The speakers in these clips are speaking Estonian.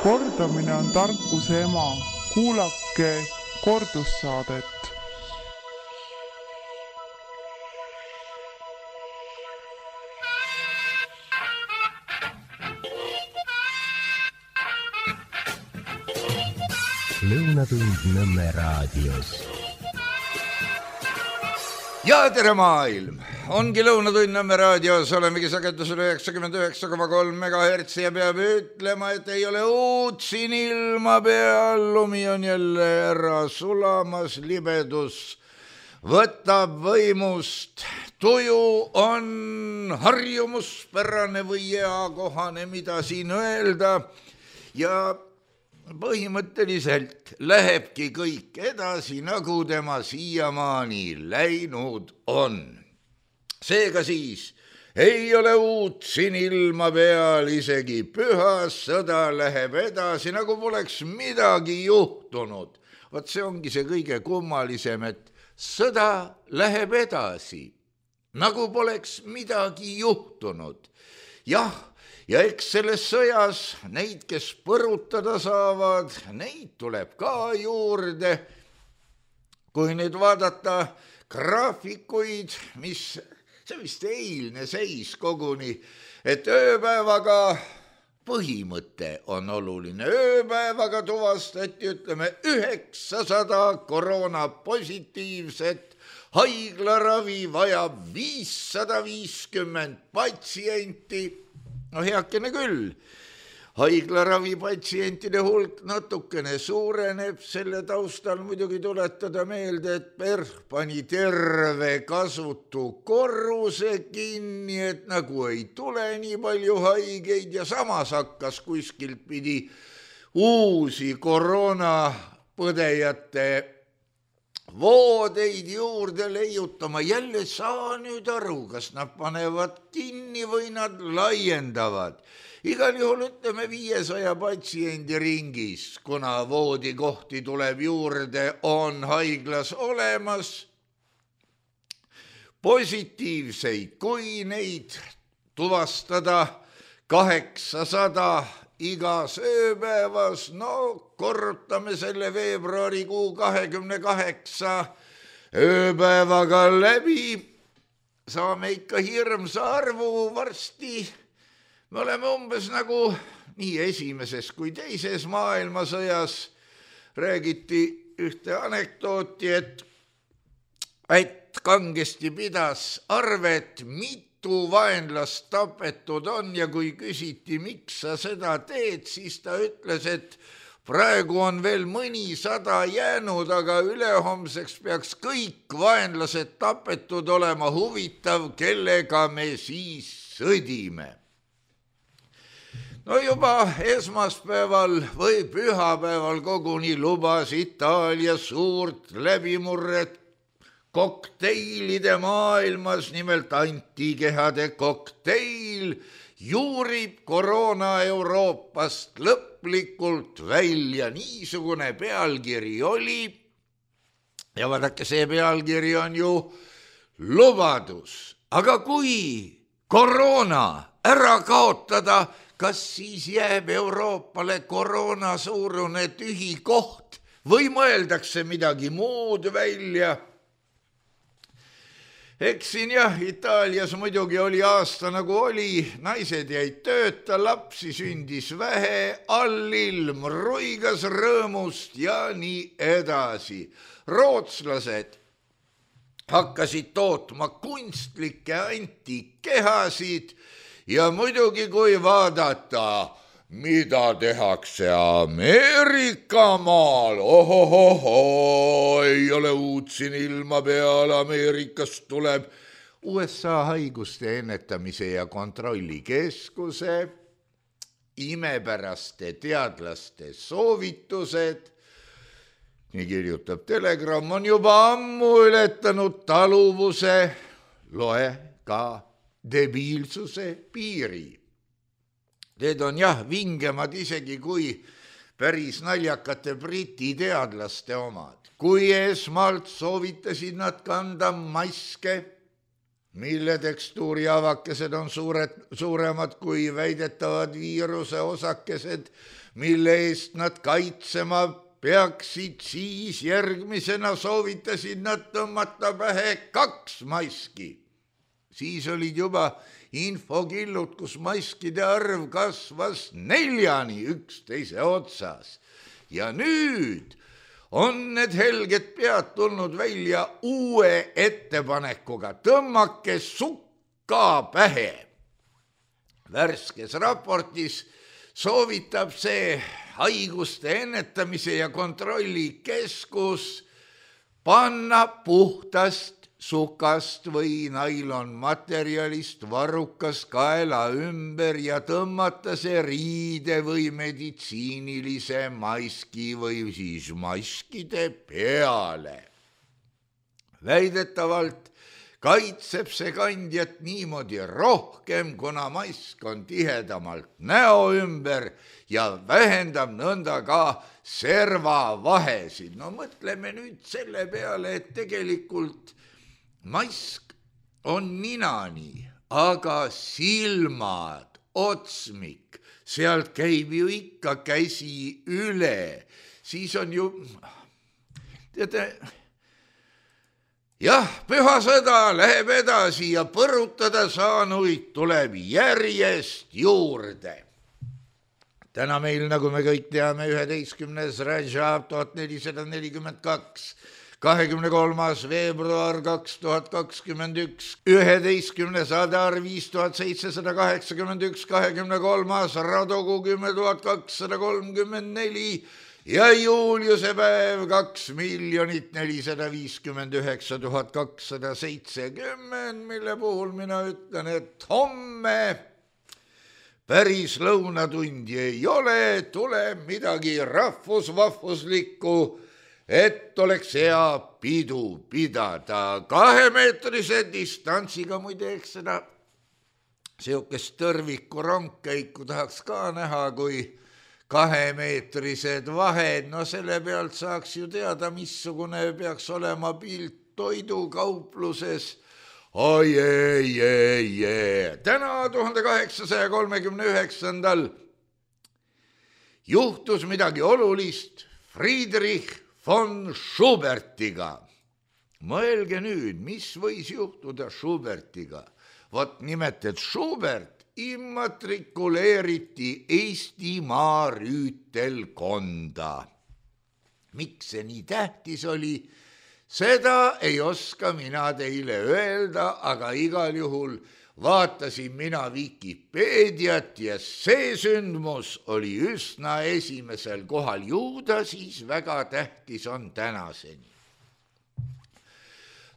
Kordamine on tarkuse ema. Kuulake kordussaadet. Lõunatund Nõmme raadios. Ja tere maailm! Ongi Lõunatund Nõmme raadios, olemegi sagedusel 99,3 MHz ja peab ütlema, et ei ole uut siin ilma peal. Lumi on jälle ära sulamas, libedus võtab võimust. Tuju on harjumuspärane või eakohane, mida siin öelda. Ja põhimõtteliselt lähebki kõik edasi, nagu tema siiamaani läinud on. Seega siis ei ole uut siin ilma peal, isegi püha sõda läheb edasi, nagu poleks midagi juhtunud. Vaat see ongi see kõige kummalisem, et sõda läheb edasi, nagu poleks midagi juhtunud. Jah, ja eks selles sõjas neid, kes põrutada saavad, neid tuleb ka juurde. Kui nüüd vaadata graafikuid, see vist eilne seis koguni, et ööpäevaga põhimõte on oluline. Ööpäevaga tuvastati, 900 koroonapositiivset, haiglaravi vajab 550 patsienti. No heakene küll, haiglaravi patsientide hulk natukene suureneb, selle taustal muidugi tuletada meelde, et PERH pani terve kasutu korruse kinni, et nagu ei tule nii palju haigeid ja samas hakkas kuskilt pidi uusi koroonapõdejate voodeid juurde leiutama. Jälle saa nüüd aru, kas nad panevad kinni või nad laiendavad. Igal juhul 500 patsiendi ringis, kuna voodikohti tuleb juurde, on haiglas olemas. Positiivseid, kui neid tuvastada 800 igas ööpäevas, korrutame selle veebruarikuu 28 ööpäevaga läbi, saame ikka hirmsa arvu varsti. Me oleme umbes nagu nii esimeses kui teises maailmasõjas. Räägiti ühte anekdooti, et kangesti pidas arvet, mitu vaenlast tapetud on, ja kui küsiti, miks sa seda teed, siis ta ütles, et praegu on veel mõnisada jäänud, aga ülehomseks peaks kõik vaenlased tapetud olema. Huvitav, kellega me siis sõdime. No juba esmaspäeval või pühapäeval koguni lubas Itaalia suurt läbimurret kokteilide maailmas, nimelt antikehade kokteil juurib koroona Euroopast lõplikult välja. Niisugune pealkiri oli. Ja vaadake, see pealkiri on ju lubadus. Aga kui koroona ära kaotada, kas siis jääb Euroopale koroona suurune tühi koht või mõeldakse midagi muud välja? Eks siin jah, Itaalias muidugi oli aasta nagu oli, naised jäid tööta, lapsi sündis vähe, allilm ruigas rõõmust ja nii edasi. Rootslased hakkasid tootma kunstlikke antikehasid ja muidugi kui vaadata, mida tehakse Ameerika maal, ei ole uut siin ilma peal, Ameerikast tuleb USA haiguste ennetamise ja kontrolli keskuse imepäraste teadlaste soovitused, nii kirjutab Telegram, on juba ammu ületanud taluvuse, loe ka debiilsuse piiri. Need on jah vingemad isegi kui päris naljakate briti teadlaste omad. Kui esmalt soovitasid nad kanda maske, mille tekstuuri avakesed on suuremad kui väidetavad viiruse osakesed, mille eest nad kaitsema peaksid, siis järgmisena soovitasid nad tõmmata pähe 2 maski. Siis olid juba infokillud, kus maskide arv kasvas 4-ni üksteise otsas. Ja nüüd on need helged pead tulnud välja uue ettepanekuga, tõmmake sukka pähe. Värskes raportis soovitab see haiguste ennetamise ja kontrolli keskus panna puhtast sukast või nailonmaterjalist varrukas kaela ümber ja tõmmata see riide või meditsiinilise maski või siis maskide peale. Väidetavalt kaitseb see kandjat niimoodi rohkem, kuna mask on tihedamalt näo ümber ja vähendab nõnda ka servavahesid. No mõtleme nüüd selle peale, et tegelikult mask on ninani, aga silmad, otsmik, sealt käib ju ikka käsi üle, siis on ju, teate, jah, püha sõda läheb edasi ja põrutada saanuid tuleb järjest juurde. Täna meil, nagu me kõik teame, 11. Rajab 1442, 23. veebruar 2021, 11. Adar 5781, 23. Radogu 10.234 ja Juuliuse päev 2 459 270, mille puhul mina ütlen, et homme päris lõunatundi ei ole, tuleb midagi rahvusvahvuslikku, et oleks hea pidu pidada 2-meetrise distantsiga. Muide, eks seda siukest tõrviku rongkäiku tahaks ka näha, kui 2-meetrised vahed, no selle pealt saaks ju teada, missugune peaks olema pilt toidukaupluses. Oi, täna 1839. juhtus midagi olulist Friedrich von Schubertiga. Mõelge nüüd, mis võis juhtuda Schubertiga. Vot nimelt, et Schubert immatrikuleeriti Eestimaa rüütelkonda. Miks see nii tähtis oli? Seda ei oska mina teile öelda, aga igal juhul vaatasin mina Vikipeediat ja see sündmus oli üsna esimesel kohal. Ju ta siis väga tähtis on tänaseni.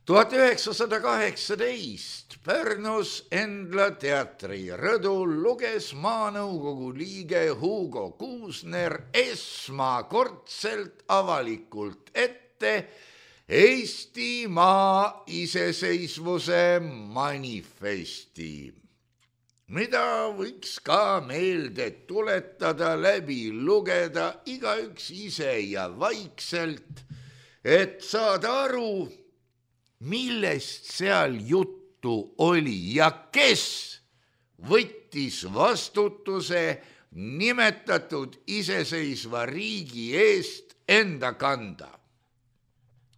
1918 Pärnus Endla teatri rõdul luges maanõukogu liige Hugo Kuusner esmakordselt avalikult ette Eestimaa iseseisvuse manifesti, mida võiks ka meelde tuletada, läbi lugeda igaüks ise ja vaikselt, et saada aru, millest seal juttu oli ja kes võttis vastutuse nimetatud iseseisva riigi eest enda kanda.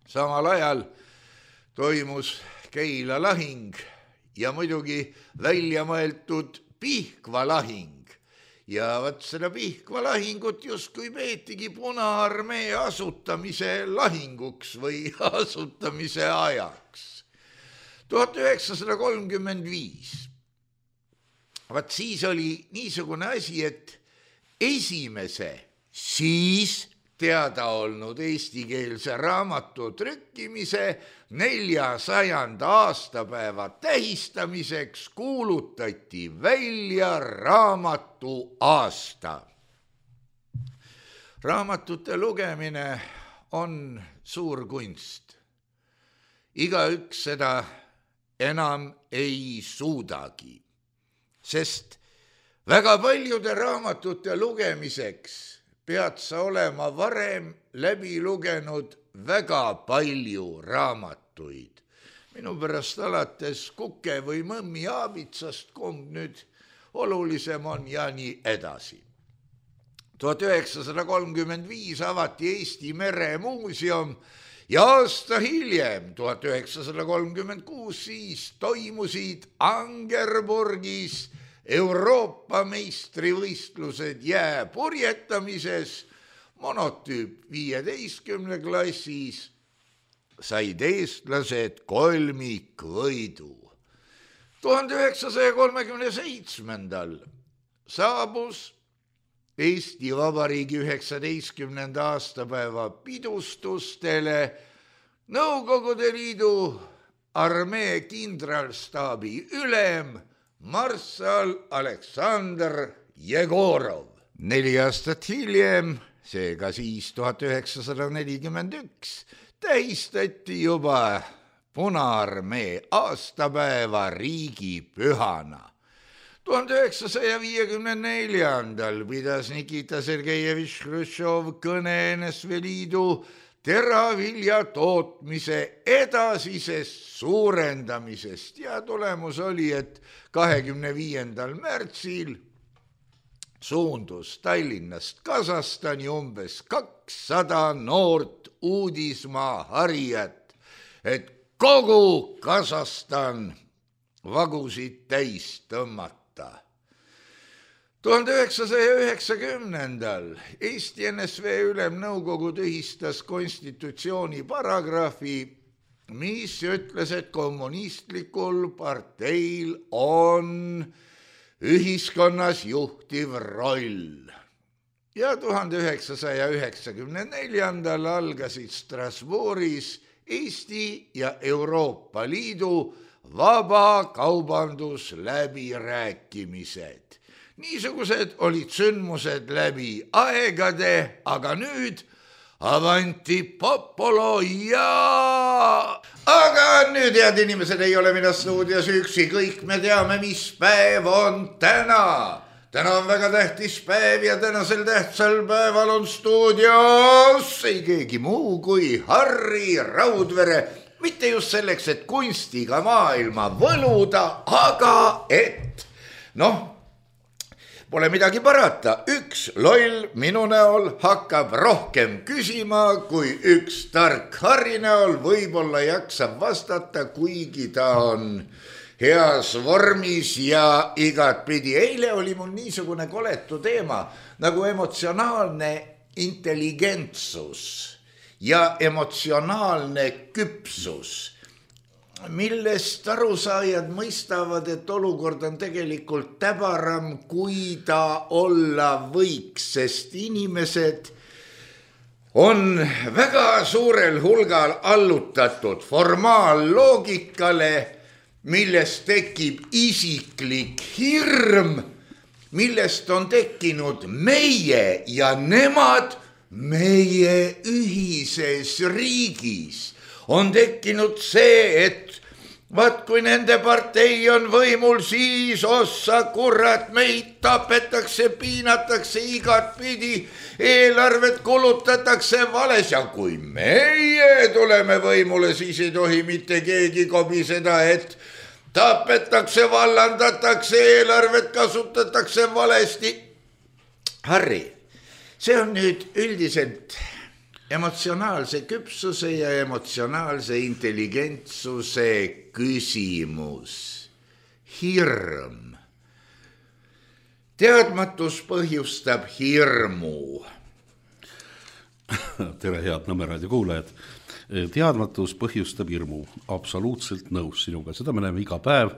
Samal ajal toimus Keila lahing ja muidugi välja mõeldud Pihkva lahing. Ja vaat seda Pihkva lahingut justkui peetigi Punaarmee asutamise lahinguks või asutamise ajaks. 1935. Vaat siis oli niisugune asi, et esimese siis teada olnud eestikeelse raamatu trükkimise 400. aastapäeva tähistamiseks kuulutati välja raamatu aasta. Raamatute lugemine on suur kunst. Igaüks seda enam ei suudagi, sest väga paljude raamatute lugemiseks pead sa olema varem läbi lugenud väga palju raamatuid. minu pärast alates kuke või mõmmi aabitsast, kumb nüüd olulisem on ja nii edasi. 1935 avati Eesti Meremuuseum ja aasta hiljem, 1936, siis toimusid Angerburgis Euroopa meistrivõistlused jääpurjetamises. Monotüüp 15 klassis said eestlased kolmikvõidu. 1937. saabus Eesti Vabariigi 19. aastapäeva pidustustele Nõukogude Liidu armee kindralstaabi ülem marssal Aleksandr Jegorov. 4 aastat hiljem, seega siis 1941, tähistati juba Punaarmee aastapäeva riigipühana. 1954. pidas Nikita Sergejevitš Hruštšov kõne NSV Liidu teravilja tootmise edasisest suurendamisest ja tulemus oli, et 25. märtsil suundus Tallinnast Kasahstani umbes 200 noort uudismaa harijat, et kogu Kasahstan vagusid täis tõmmata. 1990. Eesti NSV Ülemnõukogu tühistas konstitutsiooni paragrahvi, mis ütles, et kommunistlikul parteil on ühiskonnas juhtiv roll. Ja 1994. algasid Strasbourgis Eesti ja Euroopa Liidu vabakaubandusläbirääkimised. Niisugused olid sündmused läbi aegade, aga nüüd avanti popolo ja... Aga nüüd, head inimesed, ei ole mina stuudios üksi, kõik me teame, mis päev on täna. Täna on väga tähtis päev ja tänasel tähtsal päeval on stuudios ei keegi muu kui Harri Raudvere. Mitte just selleks, et kunstiga maailma võluda, aga et, pole midagi parata. Üks loll minu näol hakkab rohkem küsima, kui üks tark Harri näol võib-olla jaksab vastata, kuigi ta on heas vormis ja igatpidi. Eile oli mul niisugune koletu teema nagu emotsionaalne intelligentsus ja emotsionaalne küpsus, millest arusaajad mõistavad, et olukord on tegelikult täbaram, kui ta olla võiks, sest inimesed on väga suurel hulgal allutatud formaalloogikale, millest tekib isiklik hirm, millest on tekkinud meie ja nemad meie ühises riigis. On tekkinud see, et vaat kui nende partei on võimul, siis ossa kurat, meid tapetakse, piinatakse igatpidi, eelarvet kulutatakse vales ja kui meie tuleme võimule, siis ei tohi mitte keegi kobiseda, et tapetakse, vallandatakse, eelarvet kasutatakse valesti. Harri, see on nüüd üldiselt emotsionaalse küpsuse ja emotsionaalse intelligentsuse küsimus. Hirm. Teadmatus põhjustab hirmu. Tere, head Nõmmeraadio kuulajad. Teadmatus põhjustab hirmu. Absoluutselt nõus sinuga. Seda me näeme iga päev,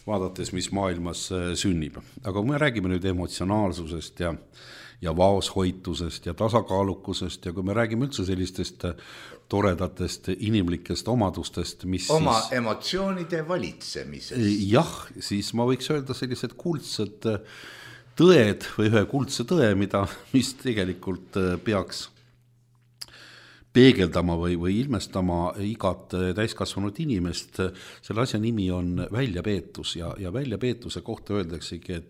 vaadates, mis maailmas sünnib. Aga kui me räägime nüüd emotsionaalsusest ja vaoshoitusest ja tasakaalukusest ja kui me räägime üldse sellistest toredatest inimlikest omadustest, mis oma emotsioonide valitsemisest. Jah, siis ma võiks öelda sellised kuldsed tõed või ühe kuldse tõe, mis tegelikult peaks peegeldama või ilmestama igat täiskasvanud inimest. Selle asja nimi on väljapeetus ja väljapeetuse kohta öeldaksegi,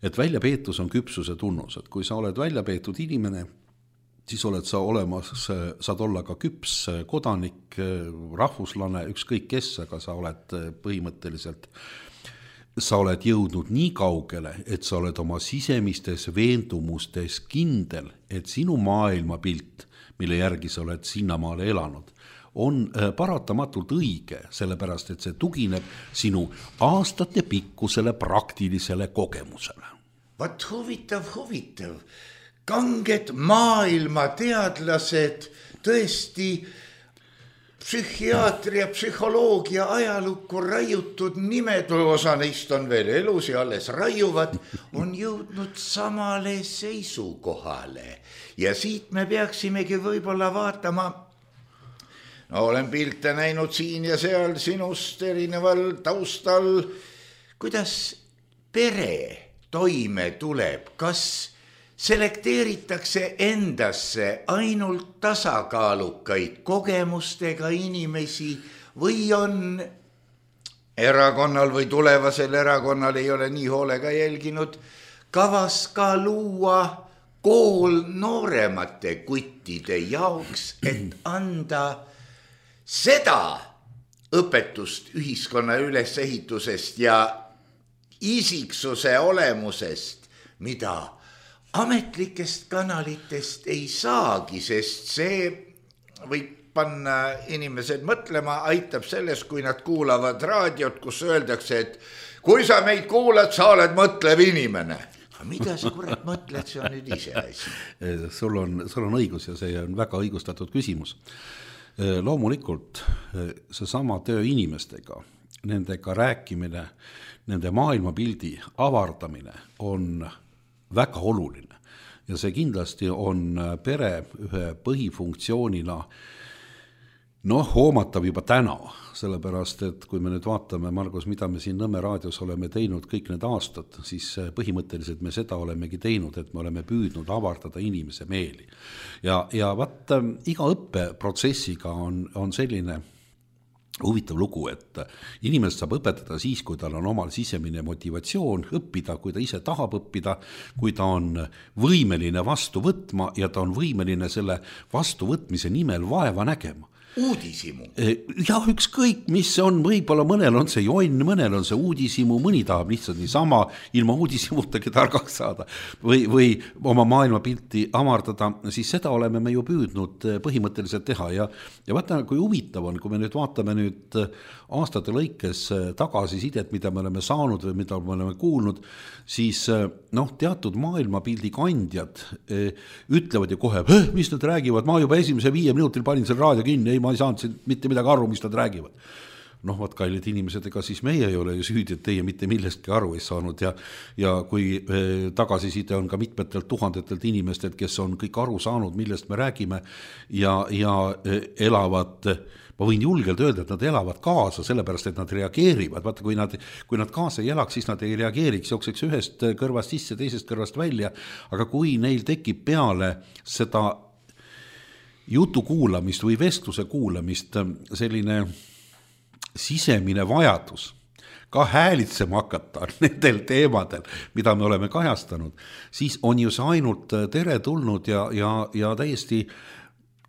et väljapeetus on küpsuse tunnus, et kui sa oled väljapeetud inimene, siis oled sa olemas, saad olla ka küps kodanik, rahvuslane, ükskõik kes, aga sa oled põhimõtteliselt, sa oled jõudnud nii kaugele, et sa oled oma sisemistes veendumustes kindel, et sinu maailmapilt, mille järgi sa oled sinnamaale elanud, on paratamatult õige, sellepärast, et see tugineb sinu aastate pikkusele praktilisele kogemusele. Vat huvitav. Kanged maailmateadlased, tõesti psühhiaatria, psühholoogia, ajalukku raiutud nimed, osa neist on veel elus ja alles raiuvad, on jõudnud samale seisukohale. Ja siit me peaksimegi võib-olla vaatama, no olen pilte näinud siin ja seal sinust erineval taustal, kuidas pere toime tuleb, kas selekteeritakse endasse ainult tasakaalukaid kogemustega inimesi või on erakonnal või tulevasel erakonnal, ei ole nii hoolega jälginud, kavas ka luua kool nooremate kuttide jaoks, et anda seda õpetust ühiskonna ülesehitusest ja isiksuse olemusest, mida ametlikest kanalitest ei saagi, sest see võib panna inimesed mõtlema, aitab sellest, kui nad kuulavad raadiot, kus öeldakse, et kui sa meid kuulad, sa oled mõtlev inimene. Mida sa kurat mõtled, see on nüüd ise asi. Sul on õigus ja see on väga õigustatud küsimus. Loomulikult see sama töö inimestega, nendega rääkimine, nende maailmapildi avardamine on väga oluline ja see kindlasti on pere ühe põhifunktsioonina hoomatav juba täna, sellepärast, et kui me nüüd vaatame, Margus, mida me siin Nõmme raadios oleme teinud kõik need aastad, siis põhimõtteliselt me seda olemegi teinud, et me oleme püüdnud avardada inimese meeli. Ja vaat iga õppeprotsessiga on selline huvitav lugu, et inimest saab õpetada siis, kui tal on omal sisemine motivatsioon õppida, kui ta ise tahab õppida, kui ta on võimeline vastu võtma ja ta on võimeline selle vastuvõtmise nimel vaeva nägema. Uudisimu. Jah, ükskõik, mis see on, võib-olla mõnel on see jonn, mõnel on see uudisimu, mõni tahab lihtsalt niisama ilma uudisimutagi targaks saada või oma maailmapilti avardada, siis seda oleme me ju püüdnud põhimõtteliselt teha ja vaata, kui huvitav on, kui me nüüd vaatame nüüd aastate lõikes tagasisidet, mida me oleme saanud või mida me oleme kuulnud, siis teatud maailmapildi kandjad ütlevad ju kohe, mis nad räägivad, ma juba esimese 5 minutil panin selle raadio kinni, ma ei saanud mitte midagi aru, mis nad räägivad. Vaat kallid inimesed, ega siis meie ei ole ju süüdi, et teie mitte millestki aru ei saanud ja kui tagasiside on ka mitmetelt tuhandetelt inimestelt, kes on kõik aru saanud, millest me räägime ja elavad, ma võin julgelt öelda, et nad elavad kaasa, sellepärast, et nad reageerivad. Vaata, kui nad kaasa ei elaks, siis nad ei reageeriks, jookseks ühest kõrvast sisse, teisest kõrvast välja, aga kui neil tekib peale seda jutu kuulamist või vestluse kuulamist selline sisemine vajadus ka häälitsema hakata nendel teemadel, mida me oleme kajastanud, siis on ju see ainult teretulnud ja täiesti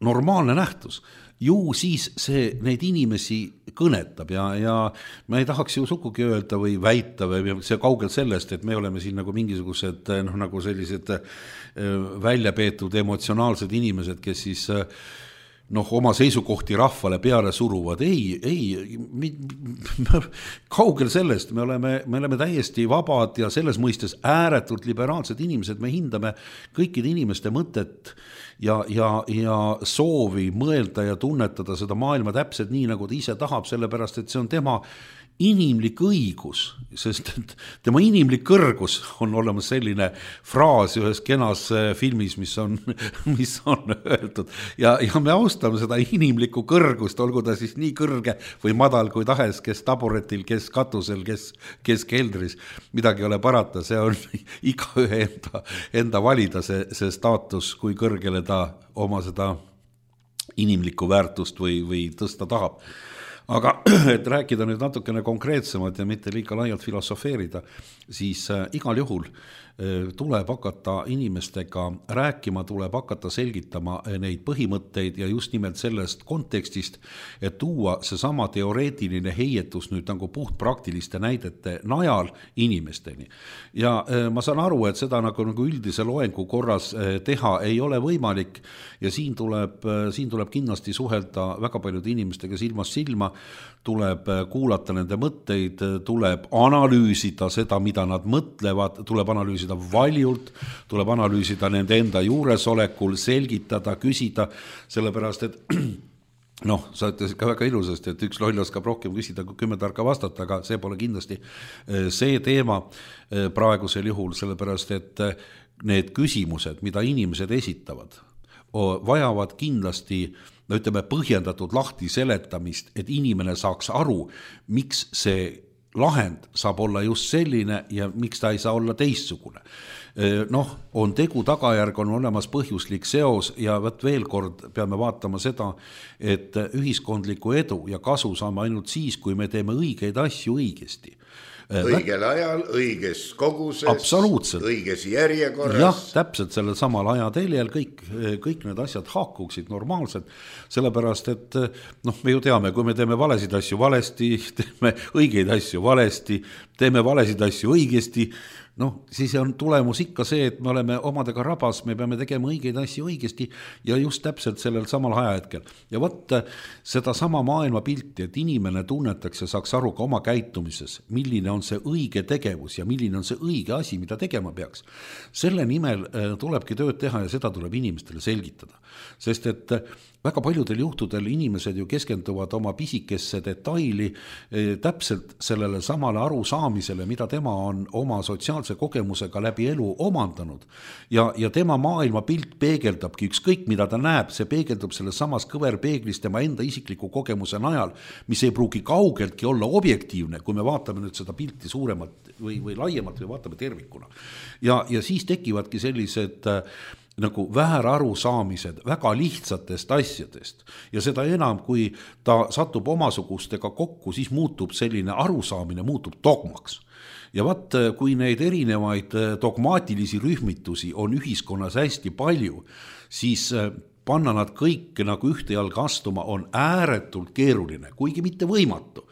normaalne nähtus. Ju siis see neid inimesi kõnetab ja ma ei tahaks ju sugugi öelda või väita või see kaugel sellest, et me oleme siin nagu mingisugused nagu sellised välja peetud emotsionaalsed inimesed, kes siis oma seisukohti rahvale peale suruvad. Ei, kaugel sellest, me oleme täiesti vabad ja selles mõistes ääretult liberaalsed inimesed, me hindame kõikide inimeste mõtet ja soovi mõelda ja tunnetada seda maailma täpselt nii, nagu ta ise tahab, sellepärast, et see on tema inimlik õigus, sest tema inimlik kõrgus on olemas selline fraas ühes kenas filmis, mis on öeldud ja me austame seda inimlikku kõrgust, olgu ta siis nii kõrge või madal kui tahes, kes taburetil, kes katusel, kes keldris, midagi ei ole parata, see on igaühe enda valida see staatus, kui kõrgele ta oma seda inimlikku väärtust või tõsta tahab. Aga et rääkida nüüd natukene konkreetsemalt ja mitte liiga laialt filosofeerida, siis igal juhul tuleb hakata inimestega rääkima, tuleb hakata selgitama neid põhimõtteid ja just nimelt sellest kontekstist, et tuua seesama teoreetiline heietus nüüd nagu puht praktiliste näidete najal inimesteni. Ja ma saan aru, et seda nagu üldise loengu korras teha ei ole võimalik ja siin tuleb kindlasti suhelda väga paljude inimestega silmast silma, tuleb kuulata nende mõtteid, tuleb analüüsida seda, mida nad mõtlevad, tuleb analüüsida valjult, tuleb analüüsida nende enda juuresolekul, selgitada, küsida, sellepärast, et sa ütlesid ka väga ilusasti, et üks loll oskab rohkem küsida kui 10 tarka vastata, aga see pole kindlasti see teema praegusel juhul, sellepärast, et need küsimused, mida inimesed esitavad, vajavad kindlasti põhjendatud lahti seletamist, et inimene saaks aru, miks see lahend saab olla just selline ja miks ta ei saa olla teistsugune. On tegu tagajärg, on olemas põhjuslik seos ja veel kord peame vaatama seda, et ühiskondliku edu ja kasu saame ainult siis, kui me teeme õigeid asju õigesti. Õigel ajal, õiges koguses, õiges järjekorras. Jah, täpselt sellel samal ajateljel kõik need asjad haakuksid normaalselt, sellepärast, et me ju teame, kui me teeme valesid asju valesti, teeme õigeid asju valesti, teeme valesid asju õigesti, siis on tulemus ikka see, et me oleme omadega rabas, me peame tegema õigeid asju õigesti ja just täpselt sellel samal ajahetkel. Ja seda sama maailma pilti, et inimene tunnetaks ja saaks aru ka oma käitumises, milline on see õige tegevus ja milline on see õige asi, mida tegema peaks. Selle nimel tulebki tööd teha ja seda tuleb inimestele selgitada. Sest et väga paljudel juhtudel inimesed ju keskenduvad oma pisikesse detaili täpselt sellele samale arusaamisele, mida tema on oma sotsiaalse kogemusega läbi elu omandanud. Ja tema maailmapilt peegeldabki ükskõik, mida ta näeb, see peegeldub selles samas kõverpeeglis tema enda isikliku kogemuse najal, mis ei pruugi kaugeltki olla objektiivne, kui me vaatame nüüd seda pilti suuremalt või laiemalt või vaatame tervikuna. Ja siis tekivadki sellised nagu väärarusaamised väga lihtsatest asjadest ja seda enam, kui ta satub omasugustega kokku, siis muutub selline arusaamine, muutub dogmaks. Ja kui neid erinevaid dogmaatilisi rühmitusi on ühiskonnas hästi palju, siis panna nad kõik nagu ühte jalga astuma on ääretult keeruline, kuigi mitte võimatu.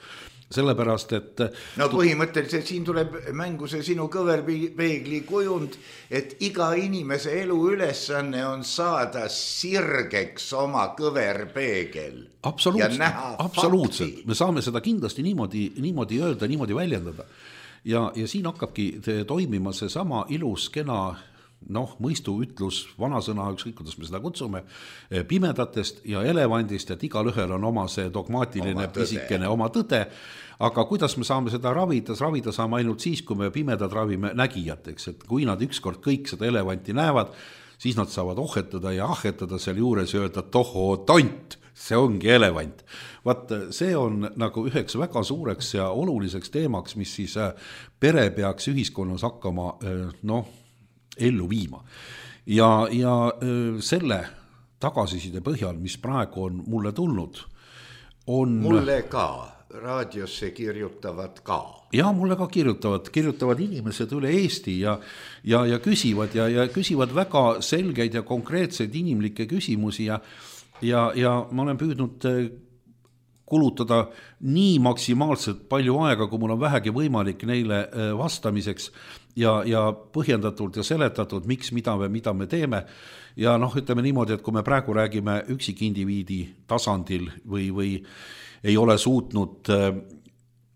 Sellepärast, et põhimõtteliselt siin tuleb mängu see sinu kõverpeegli kujund, et iga inimese elu ülesanne on saada sirgeks oma kõverpeegel. Absoluutselt. Me saame seda kindlasti niimoodi öelda, niimoodi väljendada. Ja siin hakkabki toimima see sama ilus, kena mõistu ütlus, vanasõna, ükskõik kuidas me seda kutsume, pimedatest ja elevandist, et igal ühel on oma see dogmaatiline pisikene oma tõde, aga kuidas me saame seda ravida saame ainult siis, kui me pimedad ravime nägijateks, et kui nad ükskord kõik seda elevanti näevad, siis nad saavad ohetada ja ahetada seal juures ja öelda, tohoo tont, see ongi elevant. See on nagu üheks väga suureks ja oluliseks teemaks, mis siis pere peaks ühiskonnas hakkama ellu viima. Ja selle tagasiside põhjal, mis praegu on mulle tulnud, on... Mulle ka, raadiosse kirjutavad ka. Ja mulle ka kirjutavad inimesed üle Eesti ja küsivad väga selgeid ja konkreetseid inimlikke küsimusi ja ma olen püüdnud kulutada nii maksimaalselt palju aega, kui mul on vähegi võimalik neile vastamiseks ja põhjendatult ja seletatud, miks, mida me teeme. Ja ütleme niimoodi, et kui me praegu räägime üksikindiviidi tasandil või ei ole suutnud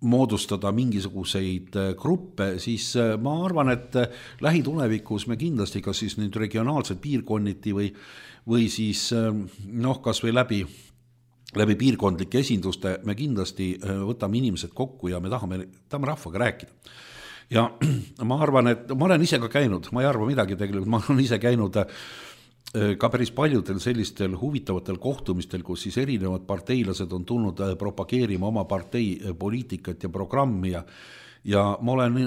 moodustada mingisuguseid gruppe, siis ma arvan, et lähitulevikus me kindlasti kas siis nüüd regionaalsed piirkonniti või siis kas või läbi piirkondlike esinduste me kindlasti võtame inimesed kokku ja me tahame rahvaga rääkida. Ja ma arvan, et ma olen ise ka käinud, ma ei arva midagi tegelikult, ma olen ise käinud ka päris paljudel sellistel huvitavatel kohtumistel, kus siis erinevad parteilased on tulnud propageerima oma partei poliitikat ja programmi ja ma olen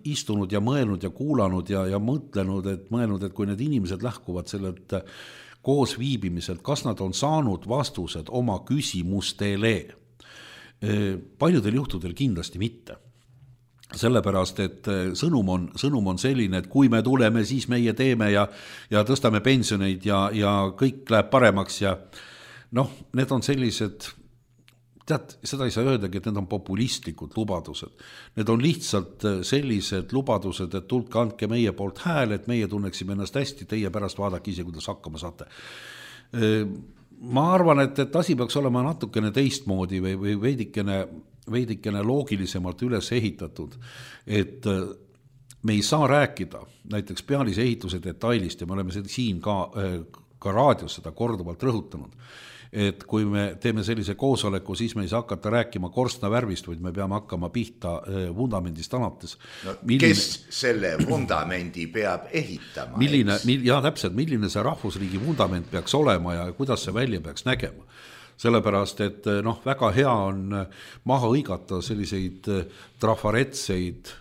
istunud ja mõelnud ja kuulanud ja mõelnud, et kui need inimesed lähkuvad sellelt koos viibimiselt, kas nad on saanud vastused oma küsimustele. Paljudel juhtudel kindlasti mitte. Sellepärast, et sõnum on selline, et kui me tuleme, siis meie teeme ja tõstame pensioneid ja kõik läheb paremaks ja need on sellised, tead, seda ei saa öeldagi, et need on populistlikud lubadused. Need on lihtsalt sellised lubadused, et tulge andke meie poolt hääl, et meie tunneksime ennast hästi, teie pärast vaadake ise, kuidas hakkama saate. Ma arvan, et asi peaks olema natukene teistmoodi või veidikene loogilisemalt üles ehitatud, et me ei saa rääkida näiteks pealise ehituse detailist ja me oleme siin ka raadios seda korduvalt rõhutanud, et kui me teeme sellise koosoleku, siis me ei saa hakata rääkima korstna värvist, vaid me peame hakkama pihta vundamendist alates. Kes selle vundamendi peab ehitama? Täpselt, milline see rahvusriigi vundament peaks olema ja kuidas see välja peaks nägema. Sellepärast, et väga hea on maha õigata selliseid trafaretseid,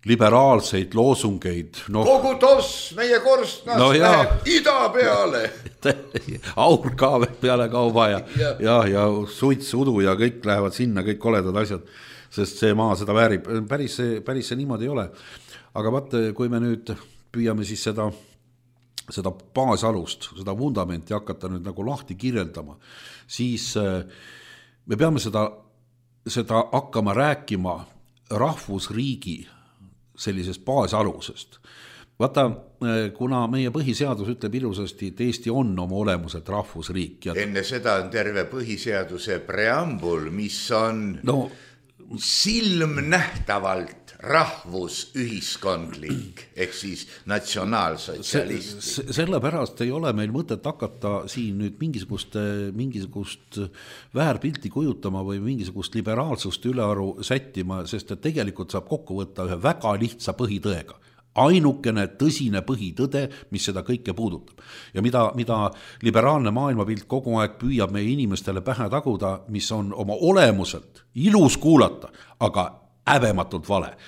liberaalseid loosungeid. Kogu toss meie korstnast läheb ida peale. Aur ka peale kauba ja suits, udu ja kõik lähevad sinna, kõik koledad asjad, sest see maa seda väärib. Päris see niimoodi ei ole. Aga vaat, kui me nüüd püüame siis seda baasalust, seda vundamenti hakata nüüd nagu lahti kirjeldama, siis me peame seda hakkama rääkima rahvusriigi sellisest baasalusest. Vaata, kuna meie põhiseadus ütleb ilusasti, et Eesti on oma olemuselt rahvusriik. Enne seda on terve põhiseaduse preambul, mis on silmnähtavalt rahvusühiskondlik, ehk siis natsionaalsotsialistlik. Sellepärast ei ole meil mõtet hakata siin nüüd mingisugust väärpilti kujutama või mingisugust liberaalsust ülearu sättima, sest et tegelikult saab kokku võtta ühe väga lihtsa põhitõega. Ainukene tõsine põhitõde, mis seda kõike puudutab. Ja mida liberaalne maailmapilt kogu aeg püüab meie inimestele pähe taguda, mis on oma olemuselt ilus kuulata, aga häbematult vale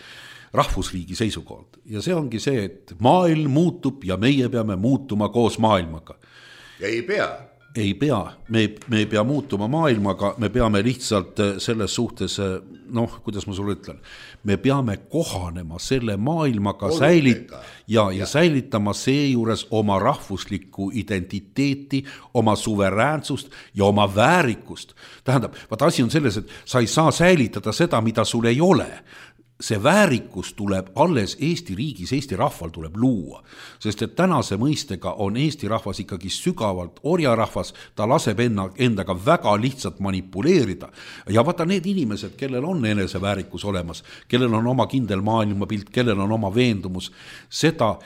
rahvusriigi seisukohalt. Ja see ongi see, et maailm muutub ja meie peame muutuma koos maailmaga. Ja ei pea. Ei pea, me ei pea muutuma maailmaga, me peame lihtsalt selles suhtes, kuidas ma sulle ütlen, me peame kohanema selle maailmaga ja säilitama seejuures oma rahvuslikku identiteeti, oma suveräänsust ja oma väärikust. Tähendab, asi on selles, et sa ei saa säilitada seda, mida sul ei ole. See väärikus tuleb alles Eesti riigis, Eesti rahval tuleb luua, sest et tänase mõistega on Eesti rahvas ikkagi sügavalt orjarahvas, ta laseb endaga väga lihtsalt manipuleerida ja vaata need inimesed, kellel on eneseväärikus olemas, kellel on oma kindel maailmapilt, kellel on oma veendumus, seda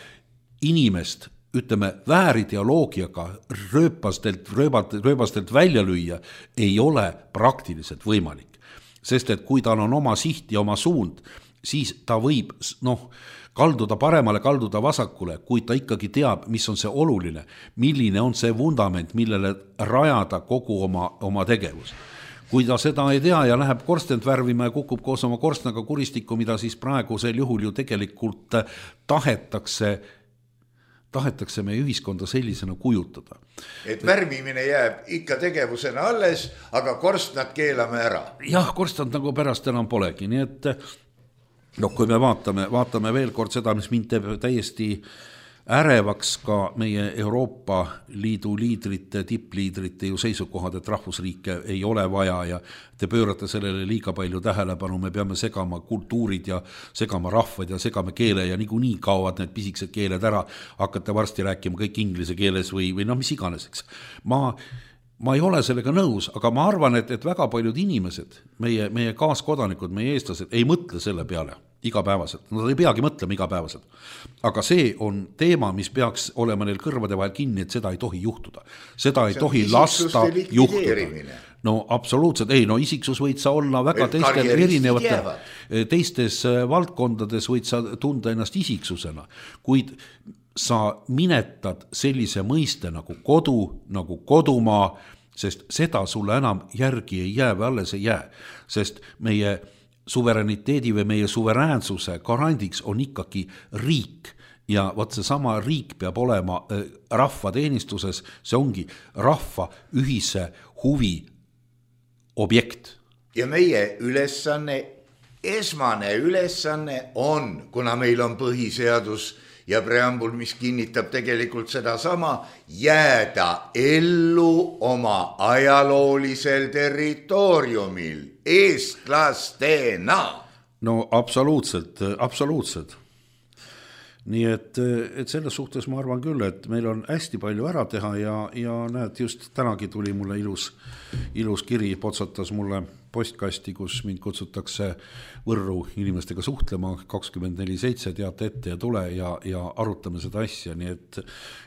inimest ütleme, väärideoloogiaga rööbastelt välja lüüa ei ole praktiliselt võimalik. Sest et kui tal on oma siht ja oma suund, siis ta võib kalduda paremale, kalduda vasakule, kui ta ikkagi teab, mis on see oluline, milline on see vundament, millele rajada kogu oma tegevus. Kui ta seda ei tea ja läheb korstent värvima ja kukub koos oma korstnaga kuristikku, mida siis praegusel juhul ju tegelikult tahetakse meie ühiskonda sellisena kujutada. Et värvimine jääb ikka tegevusena alles, aga korstnad keelame ära. Jah, korstnad nagu pärast enam polegi, nii et kui me vaatame veel kord seda, mis mind teeb täiesti ärevaks ka meie Euroopa Liidu liidrite, tippliidrite ju seisukohad, et rahvusriike ei ole vaja ja te pöörate sellele liiga palju tähelepanu, me peame segama kultuurid ja segama rahvad ja segame keele ja niikuinii kaovad need pisikesed keeled ära, hakkate varsti rääkima kõik inglise keeles või mis iganes, eks. Ma ei ole sellega nõus, aga ma arvan, et väga paljud inimesed, meie kaaskodanikud, meie eestlased ei mõtle selle peale igapäevaselt. Nad ei peagi mõtlema igapäevaselt. Aga see on teema, mis peaks olema neil kõrvade vahel kinni, et seda ei tohi juhtuda. Seda ei tohi lasta juhtuda. No absoluutselt, isiksus võid sa olla väga teistes valdkondades võid sa tunda ennast isiksusena, kuid sa minetad sellise mõiste nagu kodu, nagu kodumaa, sest seda sulle enam järgi ei jää või alles ei jää, sest meie suverääniteedi või meie suveräänsuse garandiks on ikkagi riik ja võt see sama riik peab olema rahva teenistuses, see ongi rahva ühise huvi objekt. ja meie ülesanne, esmane ülesanne on, kuna meil on põhiseadus ja preambul, mis kinnitab tegelikult sedasama, jääda ellu oma ajaloolisel territooriumil eestlastena. No absoluutselt. Nii et selles suhtes ma arvan küll, et meil on hästi palju ära teha ja näed, just tänagi tuli mulle ilus kiri, potsatas mulle postkasti, kus mind kutsutakse Võrru inimestega suhtlema 24/7, teate ette ja tule ja arutame seda asja, nii et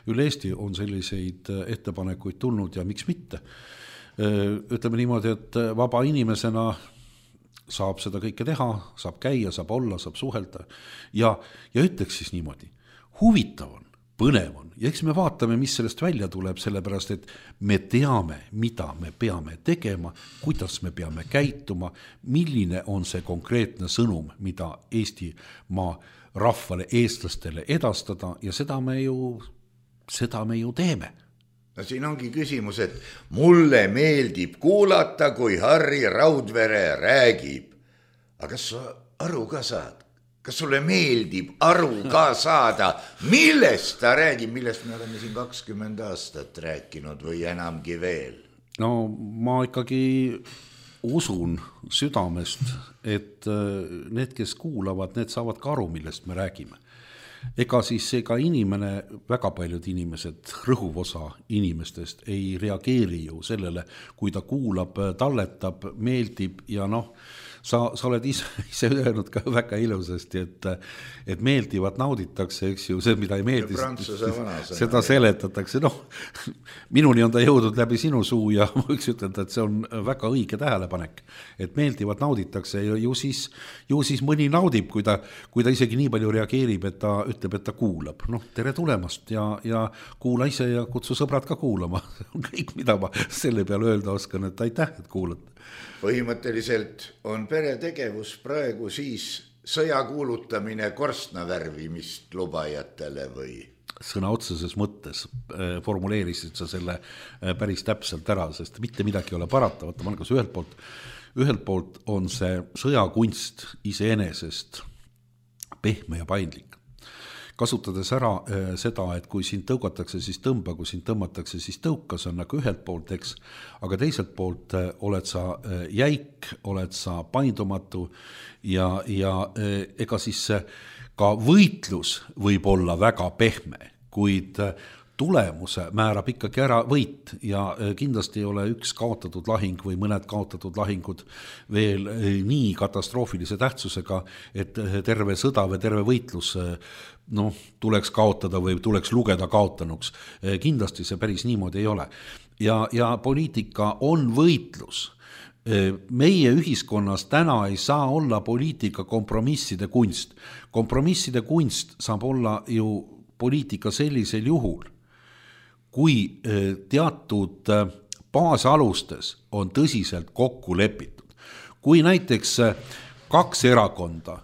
üle Eesti on selliseid ettepanekuid tulnud ja miks mitte. Ütleme niimoodi, et vaba inimesena saab seda kõike teha, saab käia, saab olla, saab suhelda ja ütleks siis niimoodi, huvitav on, põnev on ja eks me vaatame, mis sellest välja tuleb, sellepärast et me teame, mida me peame tegema, kuidas me peame käituma, milline on see konkreetne sõnum, mida Eestimaa rahvale, eestlastele edastada ja seda me ju teeme. No siin ongi küsimus, et mulle meeldib kuulata, kui Harri Raudvere räägib. Aga kas sa aru ka saad? Kas sulle meeldib aru ka saada, millest ta räägib, millest me oleme siin 20 aastat rääkinud või enamgi veel? No ma ikkagi usun südamest, et need, kes kuulavad, need saavad ka aru, millest me räägime. Ega inimene, väga paljud inimesed, rõhuv osa inimestest ei reageeri ju sellele, kui ta kuulab, talletab, meeldib ja sa oled ise öelnud ka väga ilusasti, et meeldivad nauditakse, eks ju, see, mida ei meeldi, seda seletatakse. Minuni on ta jõudnud läbi sinu suu ja ma võiks ütelda, et see on väga õige tähelepanek, et meeldivad nauditakse ja ju siis mõni naudib, kui ta isegi nii palju reageerib, et ta ütleb, et ta kuulab. Tere tulemast ja kuula ise ja kutsu sõbrad ka kuulama. Kõik, mida ma selle peale öelda oskan, et aitäh, et kuulad. Põhimõtteliselt on peretegevus praegu siis sõja kuulutamine korstnavärvimist lubajatele või? Sõna otseses mõttes formuleerisid sa selle päris täpselt ära, sest mitte midagi ei ole parata. Vaata, Margus, ühelt poolt on see sõjakunst iseenesest pehme ja paindlik. Kasutades ära seda, et kui sind tõugatakse, siis tõmba, kui sind tõmmatakse, siis tõuka, see on nagu ühelt poolt, eks, aga teiselt poolt oled sa jäik, oled sa paindumatu ja ega siis ka võitlus võib olla väga pehme, kuid tulemuse määrab ikkagi ära võit ja kindlasti ei ole üks kaotatud lahing või mõned kaotatud lahingud veel nii katastroofilise tähtsusega, et terve sõda või terve võitlus tuleks kaotada või tuleks lugeda kaotanuks. Kindlasti see päris niimoodi ei ole. Ja poliitika on võitlus. Meie ühiskonnas täna ei saa olla poliitika kompromisside kunst. Kompromisside kunst saab olla ju poliitika sellisel juhul, kui teatud baasalustes on tõsiselt kokku lepitud. Kui näiteks 2 erakonda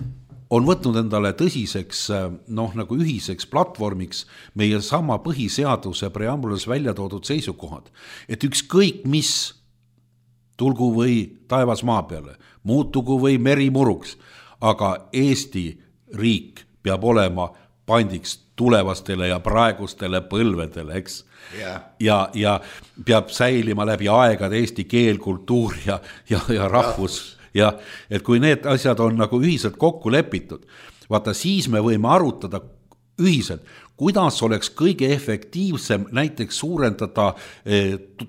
on võtnud endale tõsiseks nagu ühiseks platvormiks meie sama põhiseaduse preambulis välja toodud seisukohad, et ükskõik mis tulgu või taevas maa peale, muutugu või meri muruks, aga Eesti riik peab olema pandiks tulevastele ja praegustele põlvedele, eks? Yeah. Ja peab säilima läbi aegade eesti keel, kultuur ja rahvus. Ja et kui need asjad on nagu ühiselt kokku lepitud, vaata siis me võime arutada ühiselt, kuidas oleks kõige efektiivsem näiteks suurendada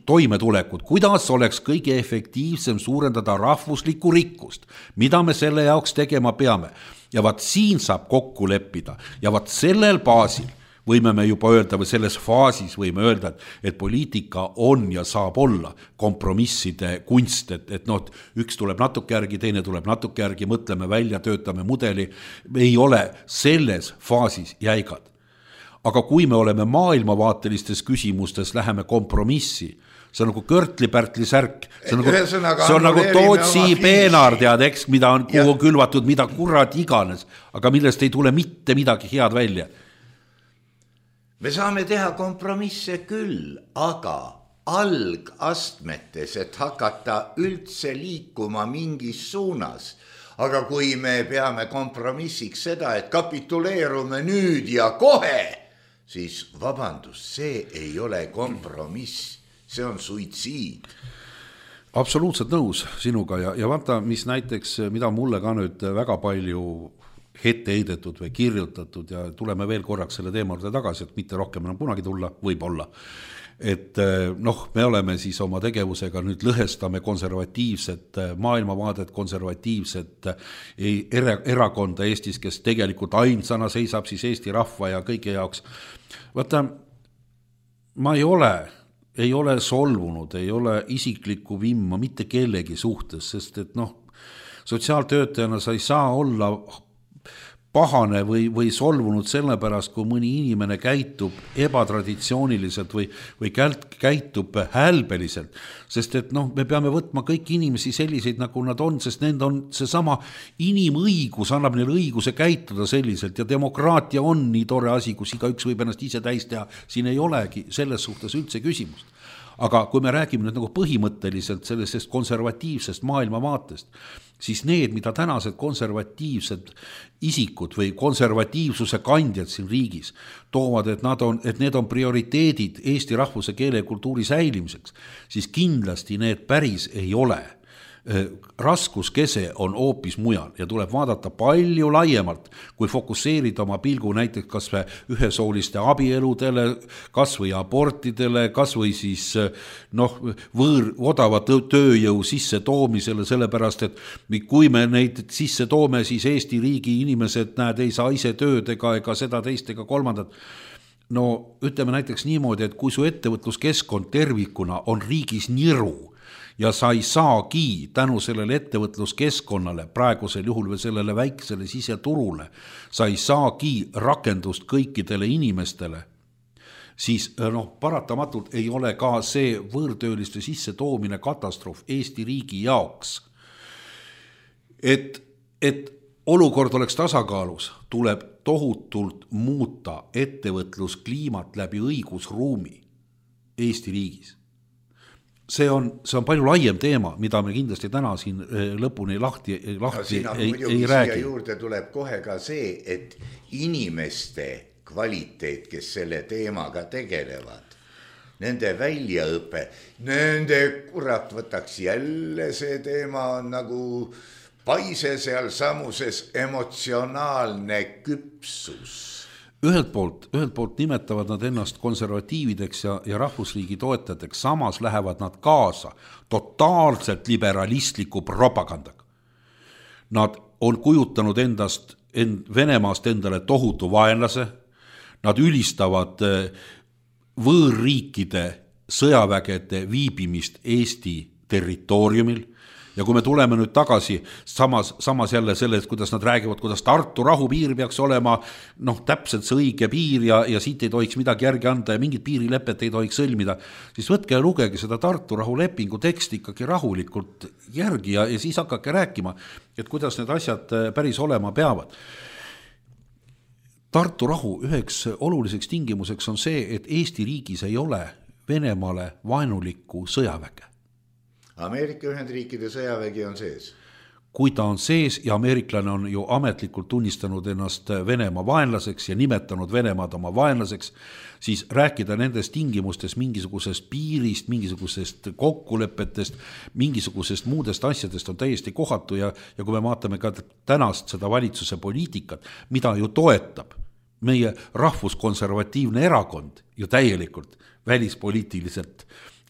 toimetulekut, kuidas oleks kõige efektiivsem suurendada rahvuslikku rikkust, mida me selle jaoks tegema peame. Ja vaat siin saab kokku leppida ja vaat sellel baasil võime me juba öelda või selles faasis võime öelda, et poliitika on ja saab olla kompromisside kunst, et üks tuleb natuke järgi, teine tuleb natuke järgi, mõtleme välja, töötame mudeli, ei ole selles faasis jäigad. Aga kui me oleme maailmavaatelistes küsimustes, läheme kompromissi, see on nagu Körtli-Pärtli särk, see on nagu Tootsi peenar, tead, eks, mida on kuhu külvatud, mida kurat iganes, aga millest ei tule mitte midagi head välja. Me saame teha kompromisse küll, aga algastmetes, et hakata üldse liikuma mingis suunas. Aga kui me peame kompromissiks seda, et kapituleerume nüüd ja kohe, siis vabandust, see ei ole kompromiss, see on suitsiid. Absoluutselt nõus sinuga ja vaata, mis näiteks, mida mulle ka nüüd väga palju ette heidetud või kirjutatud ja tuleme veel korraks selle teema juurde tagasi, et mitte rohkem enam kunagi tulla, võib-olla. Et me oleme siis oma tegevusega nüüd lõhestame konservatiivset maailmavaadet, konservatiivset erakonda Eestis, kes tegelikult ainsana seisab siis Eesti rahva ja kõige jaoks. Vaata, ma ei ole solvunud, ei ole isiklikku vimma mitte kellegi suhtes, sest et sotsiaaltöötajana sa ei saa olla pahane või solvunud sellepärast, kui mõni inimene käitub ebatraditsiooniliselt või käitub hälbeliselt, sest et me peame võtma kõik inimesi selliseid, nagu nad on, sest nend on seesama inimõigus, annab neile õiguse käituda selliselt ja demokraatia on nii tore asi, kus igaüks võib ennast ise täis teha, siin ei olegi selles suhtes üldse küsimust. Aga kui me räägime nüüd põhimõtteliselt sellisest konservatiivsest maailmavaatest, siis need, mida tänased konservatiivsed isikud või konservatiivsuse kandjad siin riigis toovad, et need on prioriteedid Eesti rahvuse, keele ja kultuuri säilimiseks, siis kindlasti need päris ei ole. Raskuskese on hoopis mujal ja tuleb vaadata palju laiemalt, kui fokusseerida oma pilgu näiteks kas või ühesooliste abieludele, kas või abortidele, kas või siis odava tööjõu sisse toomisele, sellepärast et kui me neid sisse toome, siis Eesti riigi inimesed ei saa ise tööd ega seda teist ega kolmandat. Ütleme näiteks niimoodi, et kui su ettevõtluskeskkond tervikuna on riigis niru, ja sa ei saagi tänu sellele ettevõtluskeskkonnale praegusel juhul või sellele väiksele siseturule, sa ei saagi rakendust kõikidele inimestele, siis paratamatult ei ole ka see võõrtööliste sisse toomine katastroof Eesti riigi jaoks. Et olukord oleks tasakaalus, tuleb tohutult muuta ettevõtluskliimat läbi õigusruumi Eesti riigis. See on palju laiem teema, mida me kindlasti täna siin lõpuni lahti ei räägi. Siia juurde tuleb kohe ka see, et inimeste kvaliteet, kes selle teemaga tegelevad, nende väljaõpe, nende kurat võtaks jälle see teema on nagu paise seal samuses emotsionaalne küpsus. Ühelt poolt nimetavad nad ennast konservatiivideks ja rahvusriigi toetajateks, samas lähevad nad kaasa totaalselt liberalistliku propagandaga. Nad on kujutanud Venemaast endale tohutu vaenlase, nad ülistavad võõrriikide sõjavägede viibimist Eesti territooriumil. Ja kui me tuleme nüüd tagasi samas jälle sellest, kuidas nad räägivad, kuidas Tartu rahupiir peaks olema täpselt see õige piir ja siit ei tohiks midagi järgi anda ja mingit piirilepet ei tohiks sõlmida, siis võtke ja lugege seda Tartu rahulepingu teksti ikkagi rahulikult järgi ja siis hakake rääkima, et kuidas need asjad päris olema peavad. Tartu rahu üheks oluliseks tingimuseks on see, et Eesti riigis ei ole Venemaale vaenulikku sõjaväge. Ameerika Ühendriikide sõjavägi on sees. Kui ta on sees ja ameeriklane on ju ametlikult tunnistanud ennast Venemaa vaenlaseks ja nimetanud Venemaad oma vaenlaseks, siis rääkida nendest tingimustes mingisugusest piirist, mingisugusest kokkulepetest, mingisugusest muudest asjadest on täiesti kohatu ja kui me vaatame ka tänast seda valitsuse poliitikat, mida ju toetab meie rahvuskonservatiivne erakond ju täielikult välispoliitiliselt,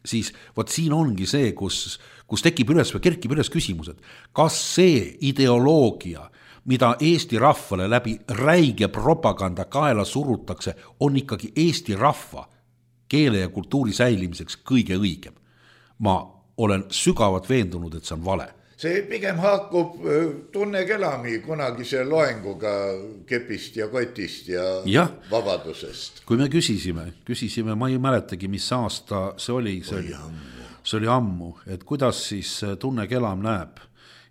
siis siin ongi see, kus tekib üles või kerkib üles küsimused, kas see ideoloogia, mida Eesti rahvale läbi räige propaganda kaela surutakse, on ikkagi Eesti rahva keele ja kultuuri säilimiseks kõige õigem. Ma olen sügavalt veendunud, et see on vale. See pigem haakub Tunne Kelami kunagise loenguga kepist ja kotist ja vabadusest. Kui me küsisime, ma ei mäletagi, mis aasta see oli ammu, et kuidas siis Tunne Kelam näeb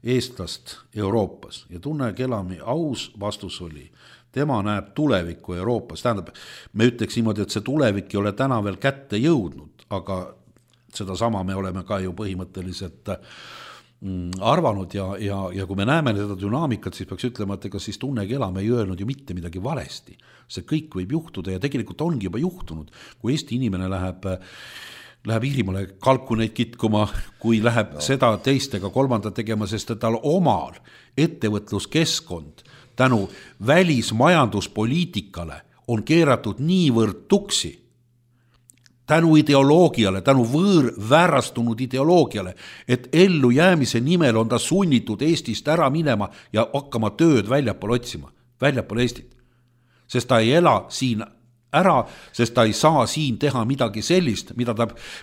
eestlast Euroopas ja Tunne Kelami aus vastus oli, tema näeb tulevikku Euroopas, tähendab, me ütleks niimoodi, et see tulevik ei ole täna veel kätte jõudnud, aga seda sama me oleme ka ju põhimõtteliselt arvanud ja kui me näeme seda dünaamikat, siis peaks ütlema, et ega siis Tunnegi elame ei öelnud ju mitte midagi valesti. See kõik võib juhtuda ja tegelikult ongi juba juhtunud, kui Eesti inimene läheb Iirimaale kalkuneid kitkuma, kui läheb seda teistega kolmanda tegema, sest et tal omal ettevõtluskeskkond tänu välismajanduspoliitikale on keeratud niivõrd tuksi, tänu ideoloogiale, tänu väärastunud ideoloogiale, et ellu jäämise nimel on ta sunnitud Eestist ära minema ja hakkama tööd väljapool otsima, väljapool Eestit. Sest ta ei ela siin ära, sest ta ei saa siin teha midagi sellist,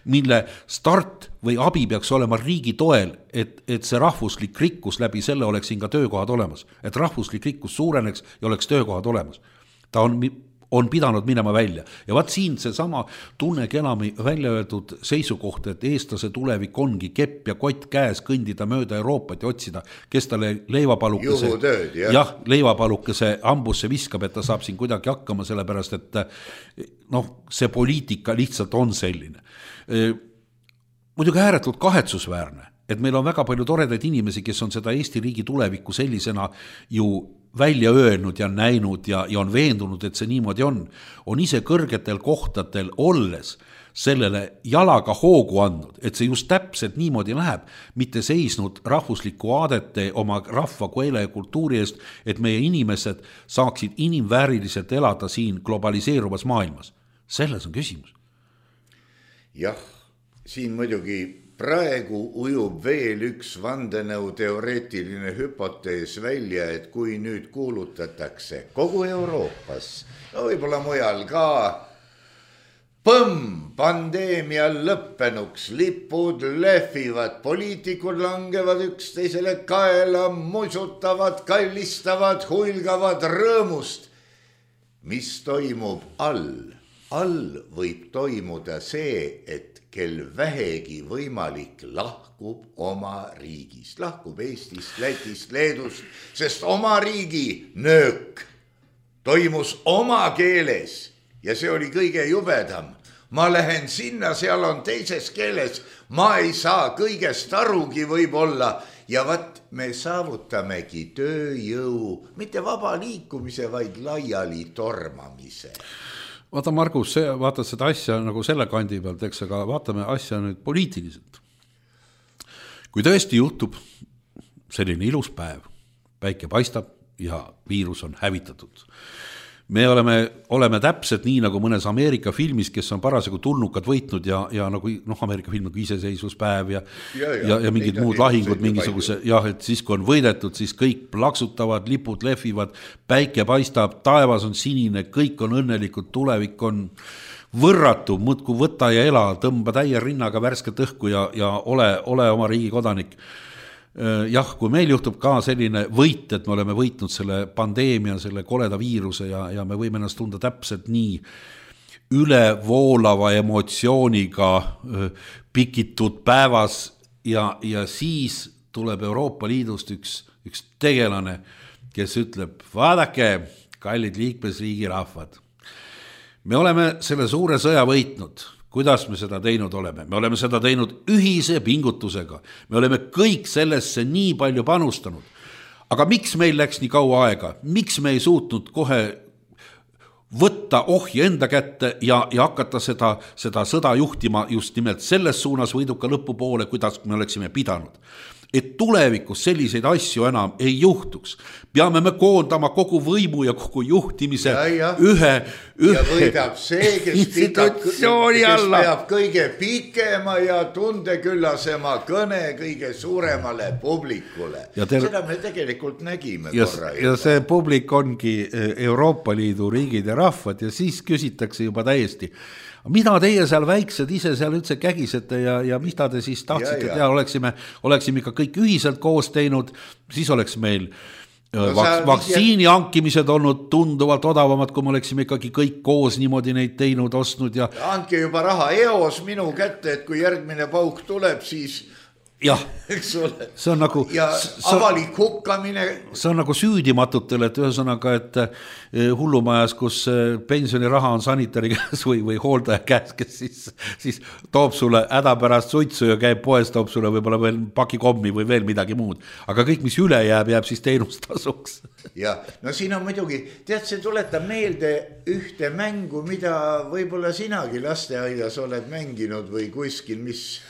mille start või abi peaks olema riigi toel, et see rahvuslik rikkus läbi selle oleks siin ka töökohad olemas, et rahvuslik rikkus suureneks ja oleks töökohad olemas. Ta on pidanud minema välja. Ja vaat siin see sama Tunnegi elami välja öeldud seisukoht, et eestlase tulevik ongi kepp ja kott käes kõndida mööda Euroopat ja otsida, kes talle leivapalukese hambusse viskab, et ta saab siin kuidagi hakkama, sellepärast, et see poliitika lihtsalt on selline. Muidugi ääretult kahetsusväärne, et meil on väga palju toredaid inimesi, kes on seda Eesti riigi tulevikku sellisena ju välja öelnud ja näinud ja on veendunud, et see niimoodi on ise kõrgetel kohtadel olles sellele jalaga hoogu andnud, et see just täpselt niimoodi läheb, mitte seisnud rahvusliku aadete oma rahva, keele ja kultuuri eest, et meie inimesed saaksid inimvääriliselt elada siin globaliseeruvas maailmas. Selles on küsimus. Jah, siin muidugi praegu ujub veel üks vandenõu teoreetiline hüpotees välja, et kui nüüd kuulutatakse kogu Euroopas, võib-olla mujal ka, pandeemia lõppenuks, lipud lehvivad, poliitikud langevad üksteisele kaela, musutavad, kallistavad, huilgavad rõõmust. Mis toimub all? All võib toimuda see, et kel vähegi võimalik lahkub oma riigist, lahkub Eestist, Lätist, Leedust, sest oma riigi nöök toimus oma keeles ja see oli kõige jubedam. Ma lähen sinna, seal on teises keeles, ma ei saa kõigest arugi võib-olla ja vat me saavutamegi tööjõu, mitte vaba liikumise, vaid laiali tormamise. Vaata Margus, vaatad seda asja nagu selle kandi pealt, eks, aga vaatame asja nüüd poliitiliselt. Kui tõesti juhtub selline ilus päev, päike paistab ja viirus on hävitatud. Me oleme täpselt nii nagu mõnes Ameerika filmis, kes on parasjagu tulnukad võitnud ja nagu Ameerika film nagu iseseisvuspäev ja mingid muud lahingud, mingisuguse, et siis kui on võidetud, siis kõik plaksutavad, lipud lehvivad, päike paistab, taevas on sinine, kõik on õnnelikud, tulevik on võrratu, muudku võta ja ela, tõmba täie rinnaga värsket õhku ja ole oma riigi kodanik. Jah, kui meil juhtub ka selline võit, et me oleme võitnud selle pandeemia, selle koleda viiruse ja me võime ennast tunda täpselt nii ülevoolava emotsiooniga pikitud päevas ja siis tuleb Euroopa Liidust üks tegelane, kes ütleb, vaadake, kallid liikmesriigi rahvad, me oleme selle suure sõja võitnud. Kuidas me seda teinud oleme? Me oleme seda teinud ühise pingutusega. Me oleme kõik sellesse nii palju panustanud. Aga miks meil läks nii kaua aega? Miks me ei suutnud kohe võtta ohje enda kätte ja hakata seda sõda juhtima just nimelt selles suunas võiduka lõpu poole, kuidas me oleksime pidanud? Et tulevikus selliseid asju enam ei juhtuks. Peame me koondama kogu võimu ja kogu juhtimise ühe ja võidab see, kes peab kõige pikema ja tundeküllasema kõne kõige suuremale publikule. Seda me tegelikult nägime korra. Ja see publik ongi Euroopa Liidu riigid ja rahvad ja siis küsitakse juba täiesti, mida teie seal väiksed ise seal üldse kägisete ja mida te siis tahtsite teha, oleksime ikka kõik ühiselt koos teinud, siis oleks meil vaktsiini hankimised olnud tunduvalt odavamad, kui me oleksime ikkagi kõik koos niimoodi neid teinud, ostnud ja andke juba raha EOS minu kätte, et kui järgmine pauk tuleb, siis jah, eks ole. See on nagu, ja avalik hukkamine. See on nagu süüdimatutele, et ühesõnaga, et hullumajas, kus pensioniraha on sanitari käes või hooldaja käes, kes siis toob sulle hädapärast suitsu ja käib poes, toob sulle võib-olla veel paki kommi või veel midagi muud. Aga kõik, mis üle jääb siis teenustasuks. Ja, no siin on muidugi, tead, see tuletab meelde ühte mängu, mida võib-olla sinagi lasteaias oled mänginud või kuskil, mis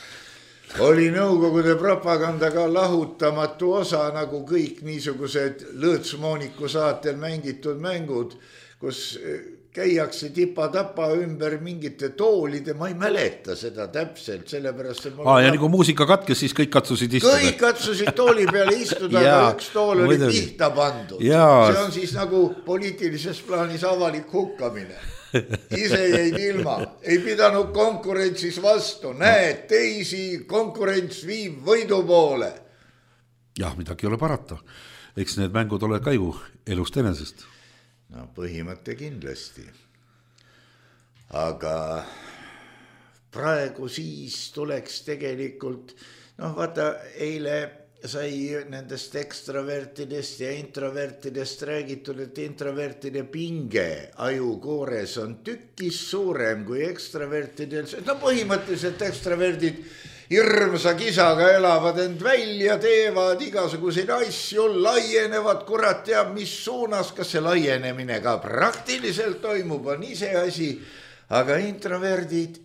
oli Nõukogude propagandaga lahutamatu osa, nagu kõik niisugused Lõõtsmooniku saatel mängitud mängud, kus käiakse tipa-tapa ümber mingite toolide, ma ei mäleta seda täpselt, sellepärast ja nagu muusika katkes, siis kõik katsusid istuda. Kõik katsusid tooli peale istuda, aga üks tool oli pihta pandud. See on siis nagu poliitilises plaanis avalik hukkamine. Ise jäid ilma, ei pidanud konkurentsis vastu, näed, teisi konkurents viib võidu poole. Jah, midagi ei ole parata. Eks need mängud ole ka ju elust enesest. No põhimõte kindlasti. Aga praegu siis tuleks tegelikult, vaata, eile sai nendest ekstravertidest ja introvertidest räägitud, et introvertide pinge ajukoores on tükkis suurem kui ekstravertidel. No põhimõtteliselt ekstraverdid hirmsa kisaga elavad end välja, teevad igasuguseid asju, laienevad, kurat teab mis suunas, kas see laienemine ka praktiliselt toimub, on ise asi. Aga introverdid